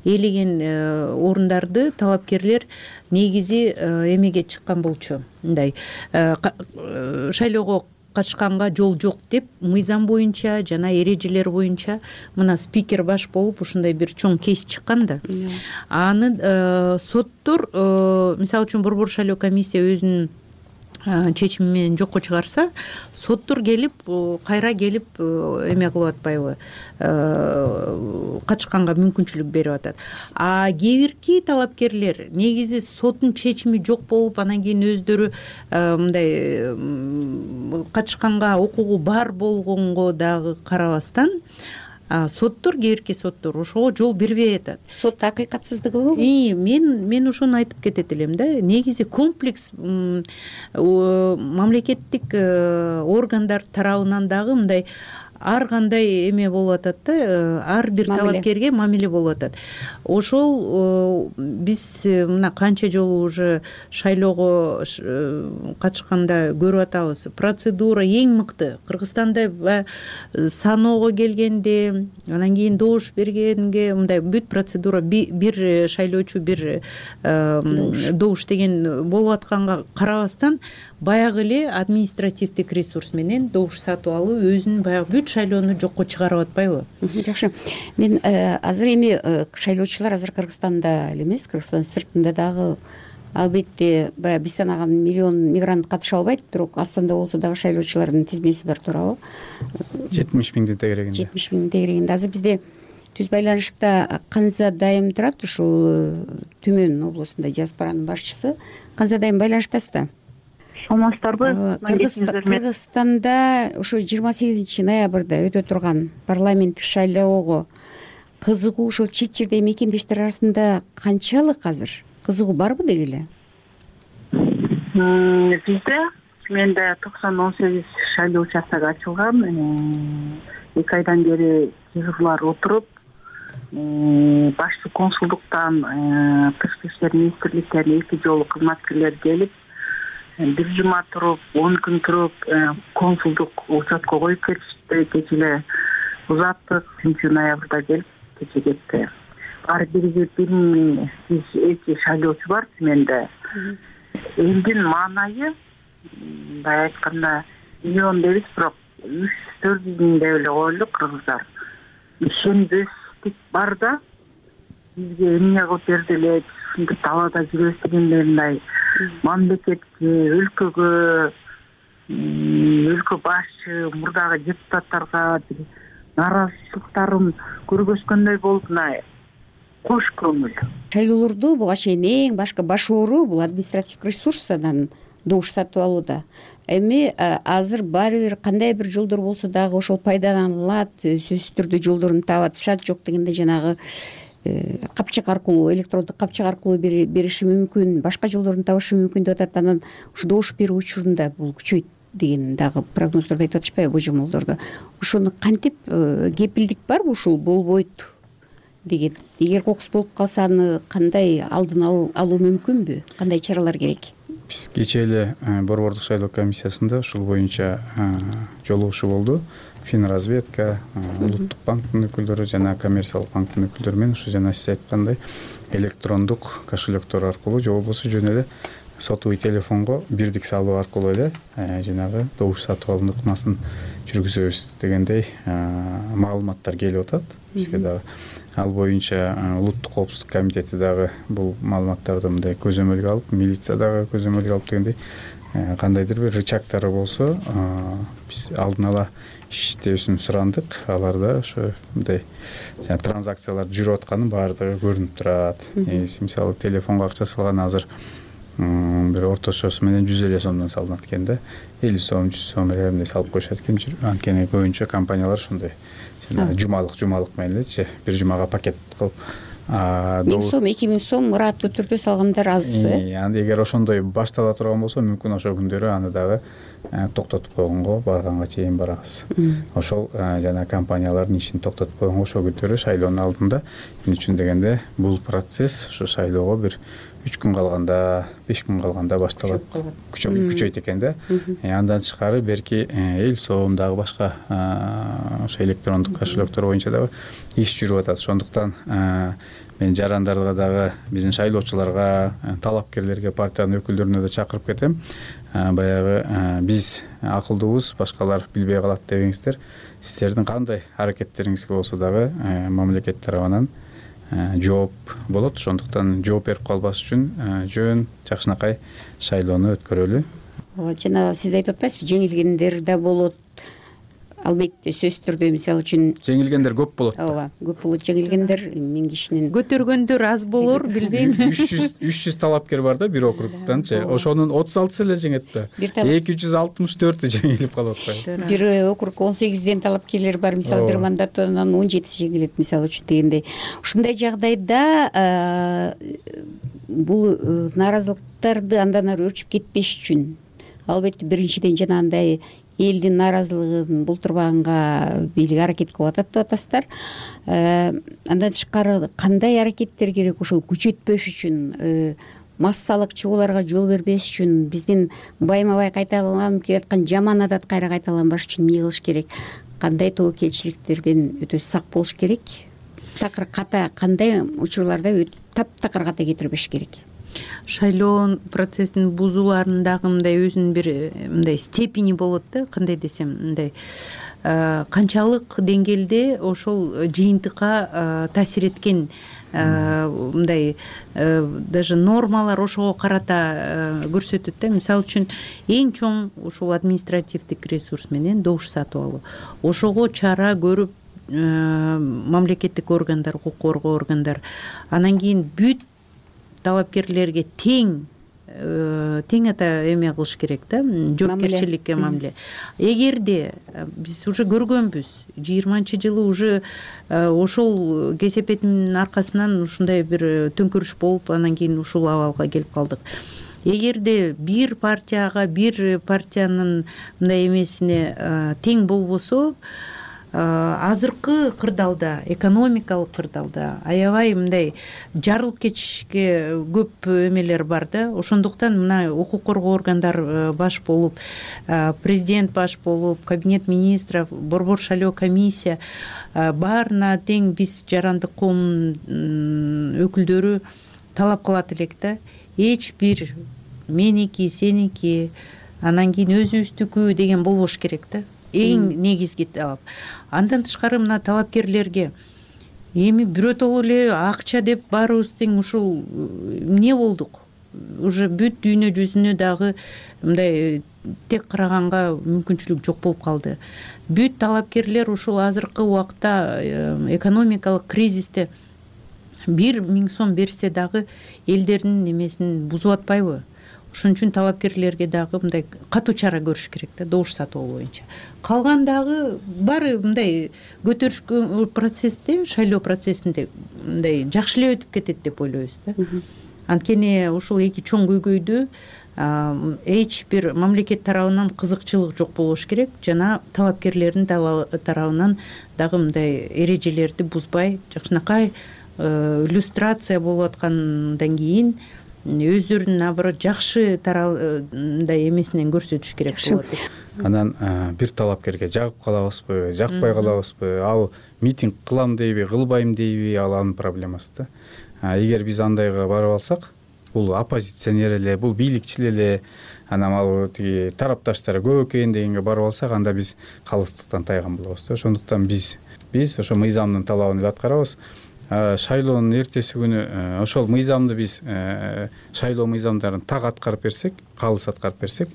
ээлеген орундарды талапкерлер негизи эмеге чыккан болчу. Мындай шайлоого катышканга жол жок деп мыйзам боюнча жана эрежелер боюнча мына спикер баш болуп ушундай бир чоң кейс чыккан да. Аны соттор, мисалы үчүн Борбор шайлоо комиссия өзүнүн чечими менен жокко чыгарса, соттор келип, кайра келип эме кылып атпайбы, катышканга мүмкүнчүлүк берип атат. Кээ бирки талапкерлер негизи соттун чечими жок болуп, анан кийин өздөрү мындай катышканга укугу бар болгонго дагы карабастан соттор, кээ бирки соттор ошого жол бербей атат. Сот акыйкатсыздыгыбы? Мен ошону айтып кетет элем да. Негизи комплекс мамлекеттик органдар тарабынан дагы мындай ар кандай эме болуп атат да, ар бир талапкерге мамиле болуп атат. Ошол биз мына канча жолу уже шайлоого катышканда көрүп атабыз. Процедура эң мыкты. Кыргызстанда саноого келгенде, анан кийин добуш бергенге мындай бүт процедура бир шайлоочу бир добуш деген болуп атканга карабастан баягы эле административдик ресурс менен добуш сатып алуу өзүнүн баягы бүт шайлоону жокко чыгарып атпайбы? Жакшы. Мен азыр эми шайлоочулар азыр Кыргызстанда эле эмес, Кыргызстан сыртында дагы албетте баягы биз санаган миллион мигрант катыша албайт, бирок Астанда болсо дагы шайлоочулардын тизмеси бар, туурабы? 70 миңдин тегерегинде. 70 миңдин тегерегинде. Азыр бизде түз байланышта Канза Дайым турат, ушул Түмөн облусунда диаспоранын башчысы. Канза Дайым байланыштасызда? Саламатсыздарбы? Кыргызстанда ошо 28 ноябрда өтө турган парламенттик шайлоого кызыгуу ошо чет жерде мекендештер арасында канчалык азыр? Кызыгуу барбы деги эле? Бизде менде 90-18 шайлоо участогу ачылган. 2 айдан бери жыгылар отуруп, башчы консулдуктан, тышкы иштер министрликтен 2 жолу кызматкерлер келип, 1 жума туруп, 10 күн туруп, консулдук участка коюп кетишти. Кече эле узаттык, 3 ноябрда келип, кече кетти. Ар бирге 1000 шайлоочу бар менде. Элдин маанайы, мындай айтканда, миллион дейбиз, бирок 300-400 миң деп эле коелук кыргыздар. Ишенбестик бар да, бизге эмне кылып берди эле, ушинтип талаада жүрөбүз дегендей мындай мамлекетке, өлкөгө, өлкө башчы, мурдагы депутаттарга нааразычылыктарын көргөзгөндөй болуп, мына кош көңүл. Шайлоолорду буга чейин эң башкы баш оору бул административдик ресурс, анан добуш сатып алууда. Эми азыр баары бир кандай бир жолдор болсо дагы ошол пайдаланылат, сөзсүз түрдө жолдорун таап атышат, жок дегенде жанагы капчык аркылуу, электрондук капчык аркылуу бериши мүмкүн, башка жолдорун табышы мүмкүн деп атат. Анан ушу добуш берүү учурунда бул күчөйт деген дагы прогноздорду айтып атышпайбы, божомолдордо. Ошону кантип кепилдик барбы ушул болбойт деген? Эгер кокус болуп калса, аны кандай алдын алуу мүмкүнбү? Кандай чаралар керек? Биз кечээ эле Борбордук шайлоо комиссиясында ушул боюнча жолугушуу болду. Финразведка, Улуттук банктын өкүлдөрү жана коммерциялык банктын өкүлдөрү менен ушу жана сиз айткандай электрондук кошелектор аркылуу же болбосо жөн эле сотовый телефонго бирдик салуу аркылуу эле жанагы добуш сатып алуу ыкмасын жүргүзөбүз дегендей маалыматтар келип атат бизге дагы. Ал боюнча Улуттук коопсуздук комитети дагы бул маалыматтарды мындай көзөмөлгө алып, милиция дагы көзөмөлгө алып дегендей кандайдыр бир рычагтары болсо биз алдын ала иштебесин сурандык. Аларда ошо мындай транзакциялар жүрүп атканы баардыгы көрүнүп турат. Мисалы телефонго акча салган азыр бир орточосу менен 150 сомдон салынат экен да, 50 сом, 100 сом эле салып коюшат экен. Анткени көбүнчө компаниялар ошондой жумалык менен элечи бир жумага пакет кылып 1000 сом, 2000 сом ыраттуу түрдө салгандар аз. Эгер ошондой баштала турган болсо, мүмкүн ошол күндөрү аны дагы токтотуп койгонго барганга чейин барабыз. Ошол жана компаниялардын ишин токтотуп койгонго ошол күндөрү шайлоонун алдында. Эмне үчүн дегенде бул процесс ошо шайлоого бир 3 күн калганда, 5 күн калганда башталат, күчөйт экен да. Андан тышкары берки эл сом дагы башка ошо электрондук кошелектор боюнча дагы иш жүрүп атат. Ошондуктан мен жарандарга дагы, биздин шайлоочуларга, талапкерлерге, партиянын өкүлдөрүнө да чакырып кетем. Баягы биз акылдуубуз, башкалар билбей калат дебеңиздер. Сиздердин кандай аракеттериңизге болсо дагы мамлекет тарабынан жооп болот. Ошондуктан жооп берип калбаш үчүн жөн жакшынакай шайлоону өткөрөлү. Жана сиз айтып атпайсызбы, жеңилгендер да болот. Албетте сөзсүз түрдө, мисалы үчүн жеңилгендер көп болот. Ооба, көп болот жеңилгендер, 1000 кишинин. Көтөргөндөр аз болор, билбейм. 300 талапкер бар да бир округтанчы. Ошонун 36 эле жеңет да. 264 жеңилип калып атпайбы? Бир округ 18ден талапкерлер бар, мисалы бир мандаттан 17 жеңилет, мисалы үчүн дегендей. Ушундай жагдайда бул нааразылыктарды андан ары өрчүп кетпеш үчүн албетте биринчиден жанагындай элдин нааразылыгын бултурбаганга бийлик аракет кылып атат деп атасыздар. Андан тышкары кандай аракеттер керек ошол күчөтпөш үчүн, массалык чыгууларга жол бербеш үчүн, биздин байма-бай кайталанып келаткан жаман адат кайра кайталанбаш үчүн эмне кылыш керек? Кандай тобокелчиликтерден өтө сак болуш керек? Такыр ката, кандай учурларда таптакыр ката кетирбеш керек? Шайлоо процессин бузууларынын дагы мындай өзүнүн бир мындай степени болот да, кандай десем, мындай канчалык деңгээлде ошол жыйынтыкка таасир эткен мындай даже нормалар ошого карата көрсөтөт да. Мисалы үчүн эң чоң ушул административдик ресурс менен добуш сатып алуу. Ошого чара көрүп мамлекеттик органдар, укук коргоо органдар, анан кийин бүт талапкерлерге тең ата эме кылыш керек да, жоопкерчиликке мамиле. Эгерде биз уже көргөнбүз, 20-жылы уже ошол кесепетинин аркасынан ушундай бир төңкөрүш болуп, анан кийин ушул абалга келип калдык. Эгерде бир партиянын мындай эмесине тең болбосо, азыркы кырдаалда, экономикалык кырдаалда аябай мындай жарылып кетишке көп эмелер бар да. Ошондуктан мына укук коргоо органдар баш болуп, президент баш болуп, кабинет министров, борбор шайлоо комиссия баарына тең биз жарандык коомдун өкүлдөрү талап кылат элек да. Эч бир меники, сеники, анан кийин өзүбүздүкү деген болбош керек да. Эң негизги талап. Андан тышкары мына талапкерлерге эми бирөөтөлө эле акча деп баарыбыз тең ушул эмне болдук? уже бүт дүйнө жүзүнө дагы мындай тек караганга мүмкүнчүлүк жок болуп калды. Бүт талапкерлер ушул азыркы убакта экономикалык кризисте 1.000 сом берсе дагы элдердин немесин бузуп атпайбы? Ошон үчүн талапкерлерге дагы мындай катуу чара көрүш керек да, добуш сатуу боюнча. Калган дагы баары мындай көтөрүшкө процессте, шайлоо процессинде мындай жакшы эле өтүп кетет деп ойлойбуз да. Анткени ушул эки чоң көйгөйдү эч бир мамлекет тарабынан кызыкчылык жок болуш керек жана талапкерлердин тарабынан дагы мындай эрежелерди бузбай жакшынакай иллюстрация болуп аткандан кийин өздөрүнүн наоборот жакшы мындай эмесинен көрсөтүш керек болот. Анан бир талапкерге жагып калабызбы, жакпай калабызбы, ал митинг кылам дейби, кылбайм дейби, ал анын проблемасы да. Эгер биз андайга барып алсак, бул оппозиционер эле, бул бийликчил эле, анан ал тиги тарапташтары көп экен дегенге барып алсак, анда биз калыстыктан тайган болобуз да. Ошондуктан биз ошо мыйзамдын талабын аткарабыз. Шайлоонун эртеси күнү ошол мыйзамды биз шайлоо мыйзамдарын так аткарып берсек, калыс аткарып берсек,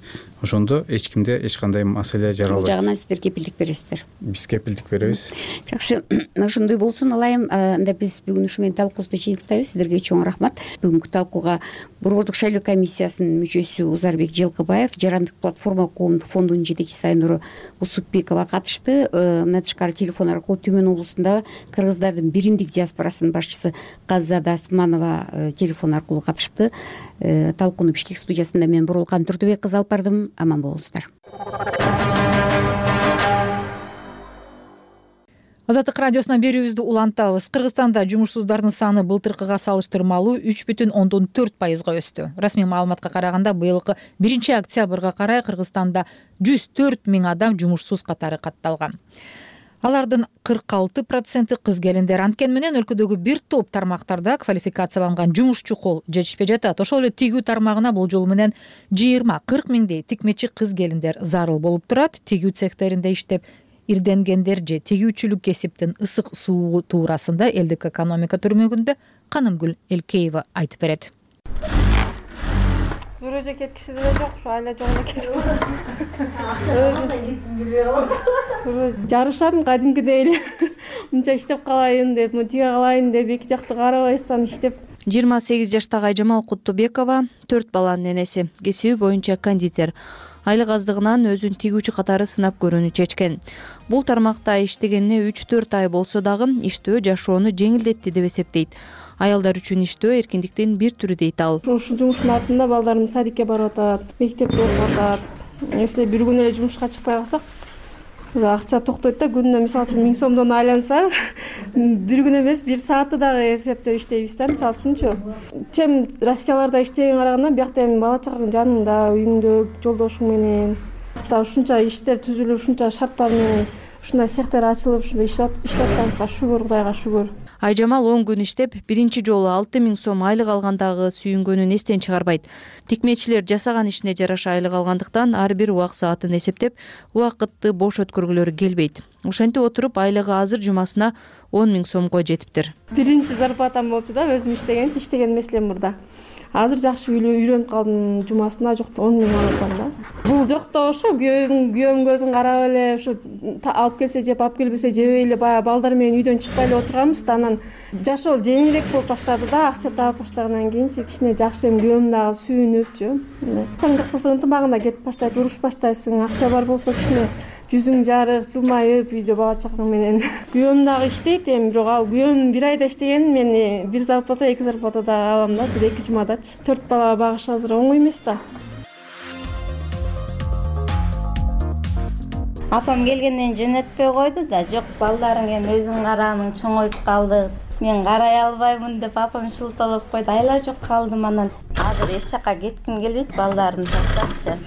ошондо эч кимде эч кандай маселе жаралбайт. Бул жагынан сиздер кепилдик бересиздер. Биз кепилдик беребиз. Жакшы, ошондой болсун. Алайым, анда биз бүгүн ушу менен талкуубузду жыйынтыктайлы. Сиздерге чоң рахмат. Бүгүнкү талкууга Борбордук шайлоо комиссиясынын мүчөсү Узарбек Жылкыбаев, Жарандык платформа коомдук фондунун жетекчиси Айнура Усупбекова катышты. Мындан тышкары телефон аркылуу Түмөн облусундагы кыргыздардын биримдик диаспорасынын башчысы Каззада Асманова телефон аркылуу катышты. Талкууну Бишкек студиясында мен Бурулкан Турдубек кызы алып бардым. Аман болуңуздар. Азаттык радиосунан берүүбүздү улантабыз. Кыргызстанда жумушсуздардын саны былтыркыга салыштырмалуу 3,4% өстү. Расмий маалыматка караганда быйылкы 1-октябрга карай Кыргызстанда 104 000 адам жумушсуз катары катталган. Алардын 46% кыз келиндер. Анткени менен өлкөдөгү бир топ тармактарда квалификацияланган жумушчу кол жетишпей жатат. Ошол эле тигүү тармагына бул жолу менен 20-40 миңдей тикмечи кыз келиндер зарыл болуп турат. Тигүү цехтеринде иштеп ирденгендер же тигүүчүлүк кесиптин ысык суугу туурасында элдик экономика түрмөгүндө Канымгүл Элкеева айтып берет. Зурожа кеткиси деле жок, ушу айла жолуна кетип. Жарышам кадимкидей эле. Мынча иштеп калайын деп, тиге калайын деп, эки жакты карабайсам иштеп. 28 жаштагы Айжамал Куттубекова 4 баланын энеси, кесиби боюнча кондитер. Айлык аздыгынан өзүн тигүүчү катары сынап көрүүнү чечкен. Бул тармакта иштегенине 3-4 ай болсо дагы иштөө жашоону жеңилдетти деп эсептейт. Аялдар үчүн иштөө эркиндиктин бир түрү дейт ал. Ушул жумуштун артында балдарым садикке барып атат, мектепте окуп атат. Если бир күн эле жумушка чыкпай калсак, акча токтойт да. Күнүнө мисалы үчүн 1000 сомдон айланса, бир күн эмес, бир саатты дагы эсептеп иштейбиз да. Мисалы үчүнчү, чем Россияларда иштегенге караганда биякта эми бала чагың жаныңда, үйүңдө, жолдошуң менен, ушунча иштер түзүлүп, ушунча шарттар менен ушундай цехтер ачылып, ушундай иштеп атканыбызга шүгүр, Кудайга шүгүр. Айжамал 10 күн иштеп, биринчи жолу 6000 сом айлык алгандагы сүйүнгөнүн эстен чыгарбайт. Тикмечилер жасаган ишине жараша айлык алгандыктан ар бир убак саатын эсептеп, убакытты бош өткөргүлөрү келбейт. Ошентип отуруп айлыгы азыр жумасына 10 000 сомго жетиптир. Биринчи зарплатам болчу да, өзүм иштеген эмеслем мурда. Азыр жакшы үйрөнүп калдым, жумасына жокто 10 000 алып атам да. Бул жокто ошо күйөөм көзүн карап эле, ушу алып келсе жеп, алып келбесе жебей эле баягы балдар менен үйдөн чыкпай эле отурганбыз да. Анан жашоо жеңилирээк болуп баштады да, акча таап баштагандан кийинчи кичине жакшы, эми күйөөм дагы сүйүнүпчү. Акчаң жок болсо ынтымагында кетип баштайт, уруш баштайсың. Акча бар болсо кичине жүзүң жарык, жылмайып, үйдө бала чакаң менен. Күйөөм дагы иштейт, эми бирок ал күйөөм бир айда иштеген, мен бир зарплата, 2 зарплата да алам да, бир 2 жумадачы. 4 бала багыш азыр оңой эмес да. Апам келгенден жөнөтпөй койду да, жок балдарың эми өзүң карааның чоңоюп калды. Мен карай албаймын деп апам шылталап койду. Айла жок калдым, анан азыр эч жака кетким келбейт, балдарын таштапчы.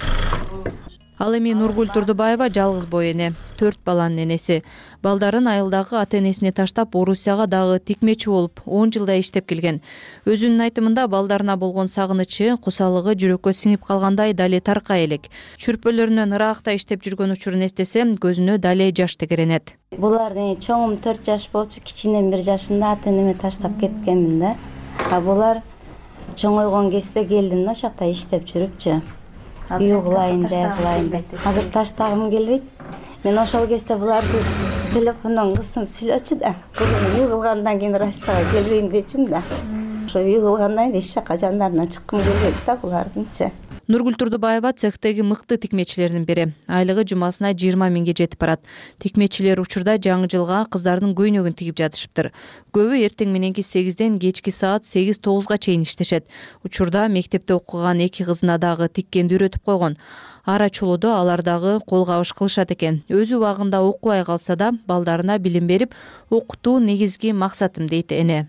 Ал эми Нургүл Турдубаева жалгыз бой эне, 4 баланын энеси. Балдарын айылдагы ата-энесине таштап, Орусияга дагы тикмечи болуп 10 жылдай иштеп келген. Өзүнүн айтымында балдарына болгон сагынычы, кусалыгы жүрөккө сиңип калгандай дале таркай элек. Чүрпөлөрүнөн ыракта иштеп жүргөн учурун эстесе, көзүнө дале жаш тегеренет. Булардын чоңум 4 жаш болчу, кичинем 1 жашында ата-энеме таштап кеткенмин да. Булар чоңойгон кезде келдим да, ошол жакта иштеп жүрүпчү. Үй кылайын, жай кылайын деп. Азыр таштагым келбейт. Мен ошол кезде буларды телефондон кызым сүйлөчү да. Кызым үй кылгандан кийин Россияга келбейм дечим да. Ошо үй кылгандан кийин эч жака жандарына чыккым келбейт да булардынчы. Нургүл Турдубаева цехтеги мыкты тикмечилердин бири. Айлыгы жумасына 20 миңге жетип барат. Тикмечилер учурда жаңы жылга кыздардын көйнөгүн тигип жатышыптыр. Көбү эртең мененки 8ден кечки саат 8-9га чейин иштешет. Учурда мектепте окуган 2 кызына дагы тиккенди үйрөтүп койгон. Ара чолодо алар дагы кол кабыш кылышат экен. Өзү убагында окубай калса да, балдарына билим берип, окутуу негизги максатым дейт эне.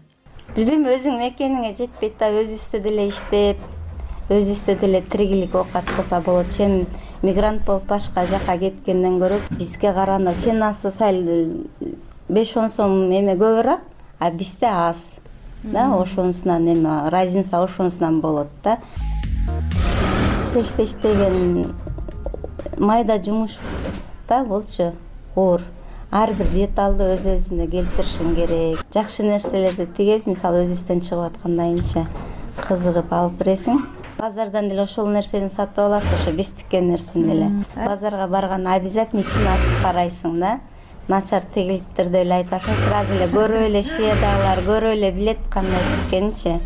Билим өзүң мекениңе жетпейт да, өзүбүздө деле иштеп, өзүбүздө деле тиргилик окат кылса болот. Чем мигрант болуп башка жака кеткенден көрө бизге караганда сенасы сал 5-10 сом эме көбүрөөк, а бизде аз. Да, ошонусунан эме разница ошонусунан болот да. Цехте иштеген майда жумуш да болчу, оор. Ар бир деталды өз-өзүнө келтиришиң керек. Жакшы нерселерди тигесиң, мисалы өзүбүздөн чыгып аткандайынча кызыгып алып бересиң. Базардан деле ошол нерсени сатып аласың, ошо биз тиккен нерсени деле. Базарга барганда обязательно ичин ачып карайсың да. Начар тигилиптерди эле айтасың, сразу эле көрүп эле шведалар көрүп эле билет кандай тиккенинчи.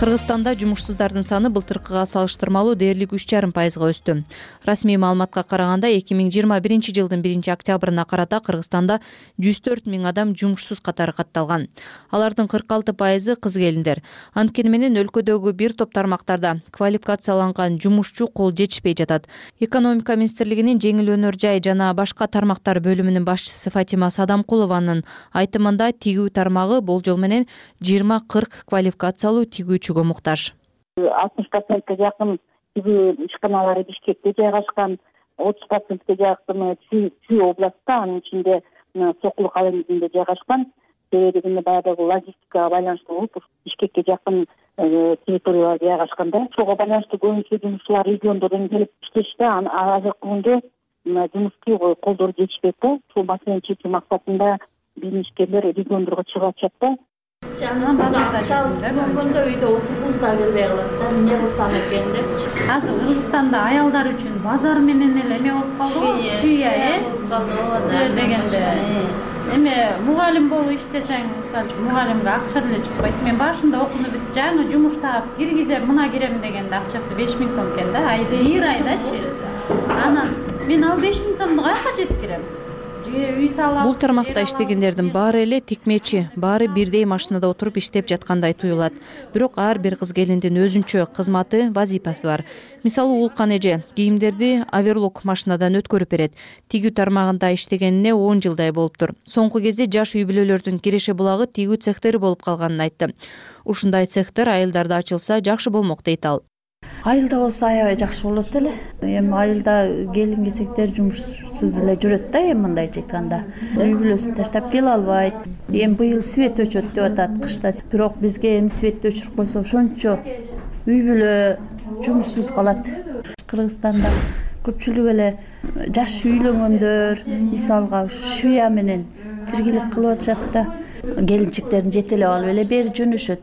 Кыргызстанда жумушсуздардын саны былтыркыга салыштырмалуу дээрлик 3,5%га өстү. Расмий маалыматка караганда 2021 жылдын 1-октябрына карата Кыргызстанда 104 миң адам жумушсуз катары катталган. Алардын 46% кыз келиндер. Анткени менен өлкөдөгү бир топ тармактарда квалификацияланган жумушчу кол жетишпей жатат. Экономика министрлигинин жеңил өнөр жай жана башка тармактар бөлүмүнүн башчысы Фатима Садамкулованын айтымында тигүү тармагы болжол менен 20-40 квалификациялуу тигүүчү муктаж. 60%га жакын тигүү ишканалары Бишкекте жайгашкан, 30%га жакын Чүй областта, анын ичинде Сокулук алымында жайгашкан. Себеби баягы логистикага байланыштуу болуп, Бишкекке жакын территорияларда жайгашканда, ошого байланыштуу көбүнчө жумушчулар региондордон келип иштешти. Азыркы күндө жумушчу колдор жетишпейт да. Ушул маселени чечүү максатында биздин ишкерлер региондорго чыгып атышат да. Болгондо үйдө отургубуз да келбей калат да, эмне кылсам экен деп. Азыр Кыргызстанда аялдар үчүн базар менен эле эме болуп калды, шия дегенде. Эме мугалим болуп иштесең, мисалы мугалимге акча деле чыкпайт. Мен башында окууну бүтүп, жаңы жумуш таап киргизем, мына кирем дегенде акчасы 5 миң сом экен да, бир айдачы. Анан мен ал 5 миң сомду каяка жеткирем? Бул тармакта иштегендердин баары эле тикмечи, баары бирдей машинада отуруп иштеп жаткандай туюлат. Бирок ар бир кыз келиндин өзүнчө кызматы, вазипасы бар. Мисалы Улкан эже кийимдерди оверлок машинадан өткөрүп берет. Тигүү тармагында иштегенине 10 жылдай болуптур. Соңку кезде жаш үй бүлөлөрдүн киреше булагы тигүү цехтери болуп калганын айтты. Ушундай цехтер айылдарда ачылса жакшы болмок дейт ал. Айылда болсо аябай жакшы болот эле. Эми айылда келин кесектер жумушсуз эле жүрөт да, эми мындайча айтканда. Үй бүлөсүн таштап келе албайт. Эми быйыл свет өчөт деп атат кышта. Бирок бизге эми светти өчүрүп койсо ошончо үй бүлө жумушсуз калат. Кыргызстанда көпчүлүк эле жаш үйлөнгөндөр, мисалга швея менен тиргилик кылып атышат да. Келинчектерин жетелеп алып эле бери жөнөшөт.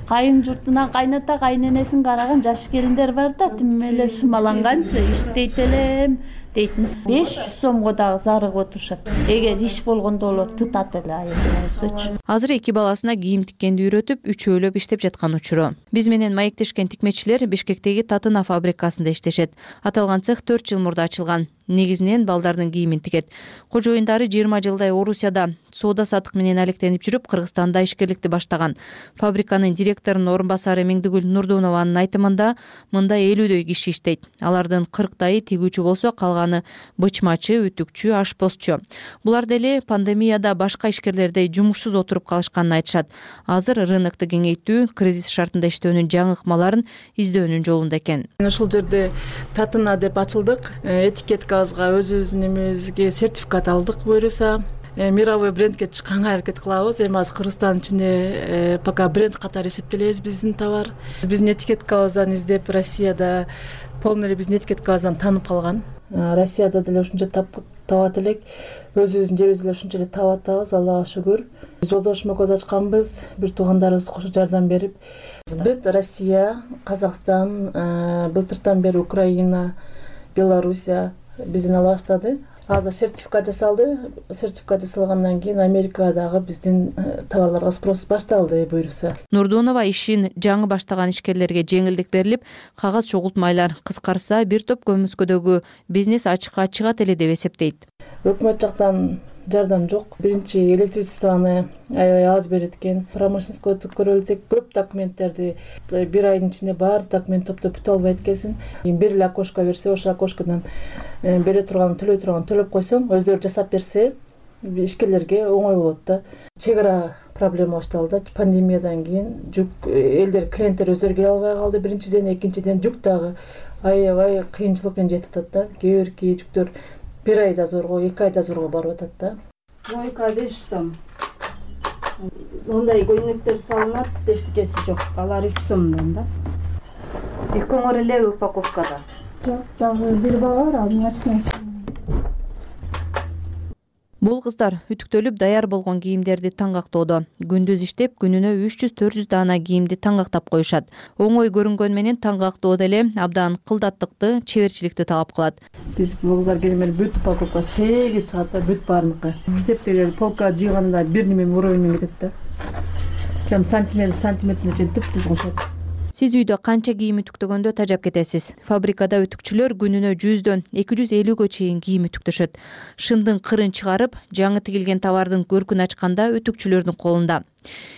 Кайын журтунан кайната, кайненесин караган жаш келиндер бар да, тим эле шымаланганчы иштейт элем дейт. 500 сомго дагы зарыгып отурушат. Эгер иш болгондо олор тытат эле айылдасычы. Азыр 2 баласына кийим тиккенди үйрөтүп, үчөөлөп иштеп жаткан учуру. Биз менен маектешкен тикмечилер Бишкектеги Татына фабрикасында иштешет. Аталган цех 4 жыл мурда ачылган. Негизинен балдардын кийимин тигет. Кожоюндары 20 жылдай Орусияда соода саттык менен алектенип жүрүп, Кыргызстанда ишкерликти баштаган. Фабриканын директорунун орун басары Меңдигүл Нурдунованын айтымында мында 50дөй киши иштейт. Алардын 40тайы тигүүчү болсо, калганы бычмачы, үтүкчү, ашпозчу. Булар деле пандемияда башка ишкерлердей жумушсуз отуруп калышканын айтышат. Азыр рынокту кеңейтүү, кризис шартында иштөөнүн жаңы ыкмаларын издөөнүн жолунда экен. Ушул жерде Татына деп ачылдык. Этикеткабызга өзүбүздүн эмебизге сертификат алдык буюрса. Мировой брендке чыкканга аракет кылабыз. Эми азыр Кыргызстандын ичинде пока бренд катары эсептелебиз биздин товар. Биздин этикеткабыздан издеп Россияда полный эле биздин этикеткабыздан таанып калган. Россияда деле ушунча табат элек, өзүбүздүн жерибизде деле ушунча эле таап атабыз, Аллага шүгүр. Жолдошума көз ачканбыз, бир туугандарыбыз кошо жардам берип. Бүт Россия, Казакстан, былтыртан бери Украина, Белоруссия бизден ала баштады. Азыр сертификат жасалды. Сертификат жасалгандан кийин Америкадагы биздин товарларга спрос башталды буюрса. Нурдунова ишин жаңы баштаган ишкерлерге жеңилдик берилип, кагаз чогултмайлар кыскарса, бир топ көмүскөдөгү бизнес ачыкка чыгат эле деп эсептейт. Өкмөт жактан жардам жок. Биринчи электричествону аябай аз берет экен. Промышленностько көрөлсөк, көп документтерди бир айдын ичинде баардык документ топтоп бүтө албайт экенсиң. Бир эле окошко берсе, ошол окошкодон бере турган, төлөй турган төлөп койсоң, өздөрү жасап берсе, ишкерлерге оңой болот да. Чек ара проблема башталды. Пандемиядан кийин жүк элдер, клиенттер өздөрү келе албай калды. Биринчиден, экинчиден жүк дагы аябай кыйынчылык менен жетип атат да. Кээ бирки жүктөр бир айда зорго, 2 айда зорго барып атат да. Мойка 5 сом. Ондай көйнөктөр салынат, эчтекеси жок. Алар 3 сомдон да. Коңор эле упаковкада. Жок, дагы бир бала бар, анын ачнасы. Бул кыздар үтүктөлүп даяр болгон кийимдерди таңгактоодо. Күндүз иштеп, күнүнө 300-400 даана кийимди таңгактап коюшат. Оңой көрүнгөн менен таңгактоо деле абдан кылдаттыкты, чеберчиликти талап кылат. Биз бул кыздар келгенде бүт упаковка 8 чыгат да, бүт баарыныкы. Мектептеги полка жыйганда бир неме уровень кетет да. Кем сантиметрине чейин түп-түз кошот. Сиз үйдө канча кийим үтүктөгөндө тажап кетесиз. Фабрикада үтүкчүлөр күнүнө 100дөн 250гө чейин кийим үтүктөшөт. Шымдын кырын чыгарып, жаңы тигилген товардын көркүн ачканда үтүкчүлөрдүн колунда.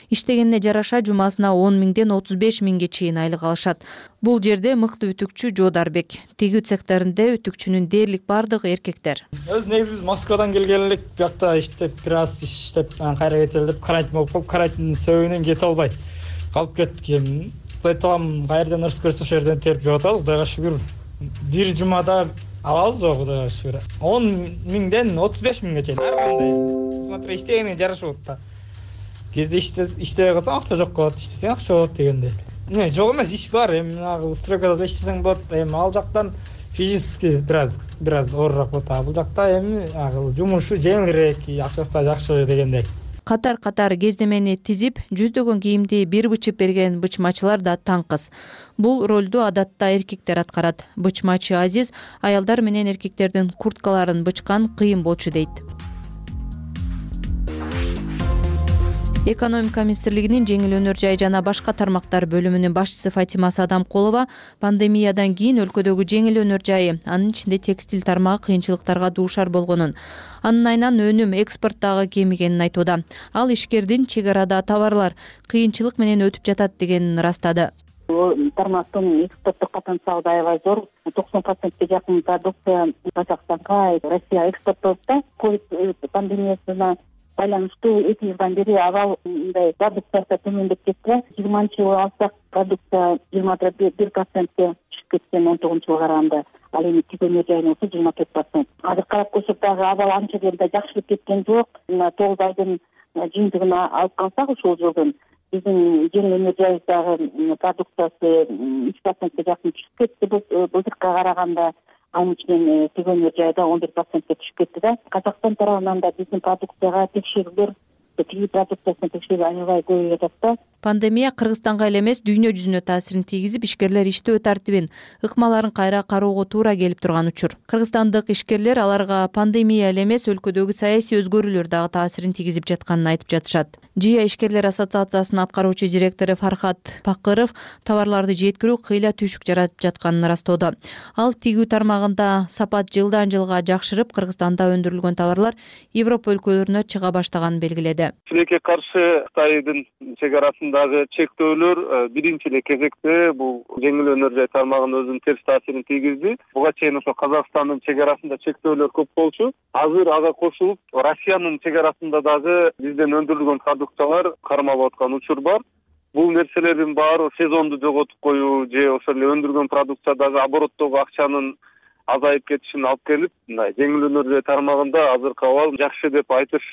Иштегенине жараша жумасына 10 миңден 35 миңге чейин айлык алышат. Бул жерде мыкты үтүкчү Жодарбек. Тигүү цехтеринде үтүкчүнүн дээрлик бардыгы эркектер. Өз негизи биз Москвадан келген элек, бuyakta иштеп, бир аз иштеп, кайра кетели деп карантин болуп, карантиндин себебинен кете албай калып кеттик. Айталам, кайерден ырыс көрсө ошол жерден терип жеп атабыз. Кудайга шүгүр. Бир жумада алабыз го, кудайга шүгүр. 10 миңден 35 миңге чейин ар кандай. Смотри, иштегенине жарашып атат. Кезде иштебей калсаң акча жок болот, иштесең акча болот дегенде. Жок эмес, иш бар. Эми стройкада иштесең болот. Эми ал жактан физически бир аз оорураак болот. Бул жакта эми жумушу жеңилирээк, акчасы да жакшы дегендей. Катар-катар кездемени тизип, жүздөгөн кийимди бир бычып берген бычмачылар да таң кыз. Бул ролду адатта эркектер аткарат. Бычмачы Азиз аялдар менен эркектердин курткаларын бычкан кыйын болчу дейт. Экономика министрлигинин жеңил өнөр жай жана башка тармактар бөлүмүнүн башчысы Фатима Садамкулова пандемиядан кийин өлкөдөгү жеңил өнөр жайы, анын ичинде текстиль тармагы кыйынчылыктарга дуушар болгонун, анын айынан өнүм экспорттагы кемигенин айтууда. Ал ишкердин чек арада товарлар кыйынчылык менен өтүп жатат дегенин ырастады. Тармактын экспорттук потенциалы аябай зор. 90%ге жакын продукция Казакстанга, Россия экспорттолот да. Ковид пандемиясына байланыштуу 2 жылдан бери абал мындай продукциясы төмөндөп кетти. 20-жылы алсак продукция 21%ке түшүп кеткен 19-жылга караганда. Ал эми тигүү жайын 24%. Азыр карап көрсөк дагы абал анча деле жакшырып кеткен жок. 9 айдын жыйынтыгына алып калсак ушул жылдын биздин жеңил өнөр жайдагы продукциясы 3%ке жакын түшүп кетти былтыркыга караганда. Анын ичинен тигүү өнөр жайда 11%ке түшүп кетти да. Казакстан тарабынан да биздин продукцияга текшерүүлөр, тигүү продукциясына текшерүү аябай көбөйүп жатат да. Пандемия Кыргызстанга эле эмес, дүйнө жүзүнө таасирин тийгизип, ишкерлер иштөө тартибин, ыкмаларын кайра кароого туура келип турган учур. Кыргызстандык ишкерлер аларга пандемия эле эмес, өлкөдөгү саясий өзгөрүүлөр дагы таасирин тийгизип жатканын айтып жатышат. ЖИА ишкерлер ассоциациясынын аткаруучу директору Фархат Пакыров товарларды жеткирүү кыйла түйшүк жаратып жатканын ырастоодо. Ал тигүү тармагында сапат жылдан жылга жакшырып, Кыргызстанда өндүрүлгөн товарлар Европа өлкөлөрүнө чыга баштаганын белгиледи. Тилекке каршы Кытайдын чек арасындагы чектөөлөр биринчи эле кезекте бул жеңил өнөр жай тармагына өзүнүн терс таасирин тийгизди. Буга чейин ошо Казакстандын чек арасында чектөөлөр көп болчу. Азыр ага кошулуп, Россиянын чек арасында дагы бизден өндүрүлгөн продукциялар кармалып аткан учур бар. Бул нерселердин баары сезонду жоготуп коюу же ошол эле өндүргөн продукциядагы обороттогу акчанын азайып кетишине алып келип, мындай жеңил өнөр тармагында азыркы абал жакшы деп айтыш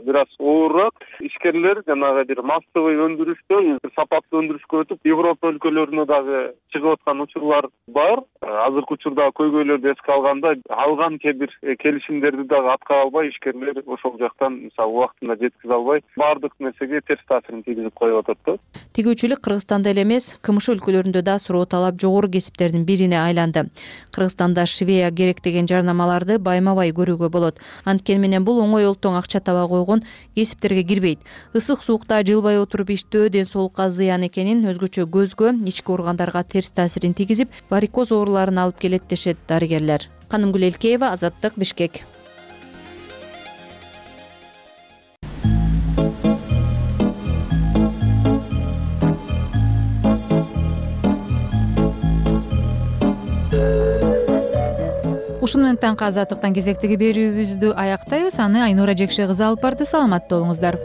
бир аз оорураак. Ишкерлер жанагы бир массовый өндүрүштөн сапаттуу өндүрүшкө өтүп, Европа өлкөлөрүнө дагы чыгып аткан учурлар бар. Азыркы учурда көйгөйлөрдү эске алганда, алган кээ бир келишимдерди дагы аткара албай, ишкерлер ошол жактан мисалы убактында жеткизе албай, баардык нерсеге терс таасирин тийгизип коюп атат да. Тигүүчүлүк Кыргызстанда эле эмес, КМШ өлкөлөрүндө да суроо талап жогору кесиптердин бирине айланды. Кыргызстанда швея керек деген жарнамаларды байма-бай көрүүгө болот. Анткени менен бул оңой олтоң акча таба койгон кесиптерге кирбейт. Ысык суукта жылбай отуруп иштөө ден соолукка зыян экенин, өзгөчө көзгө, ички органдарга терс таасирин тийгизип, варикоз ооруларын алып келет дешет дарыгерлер. Канымгүл Элкеева, Азаттык, Бишкек. Ушуну менен таңкы Азаттыктан кезектеги берүүбүздү аяктайбыз. Аны Айнура Жекше кызы алып барды. Саламатта болуңуздар.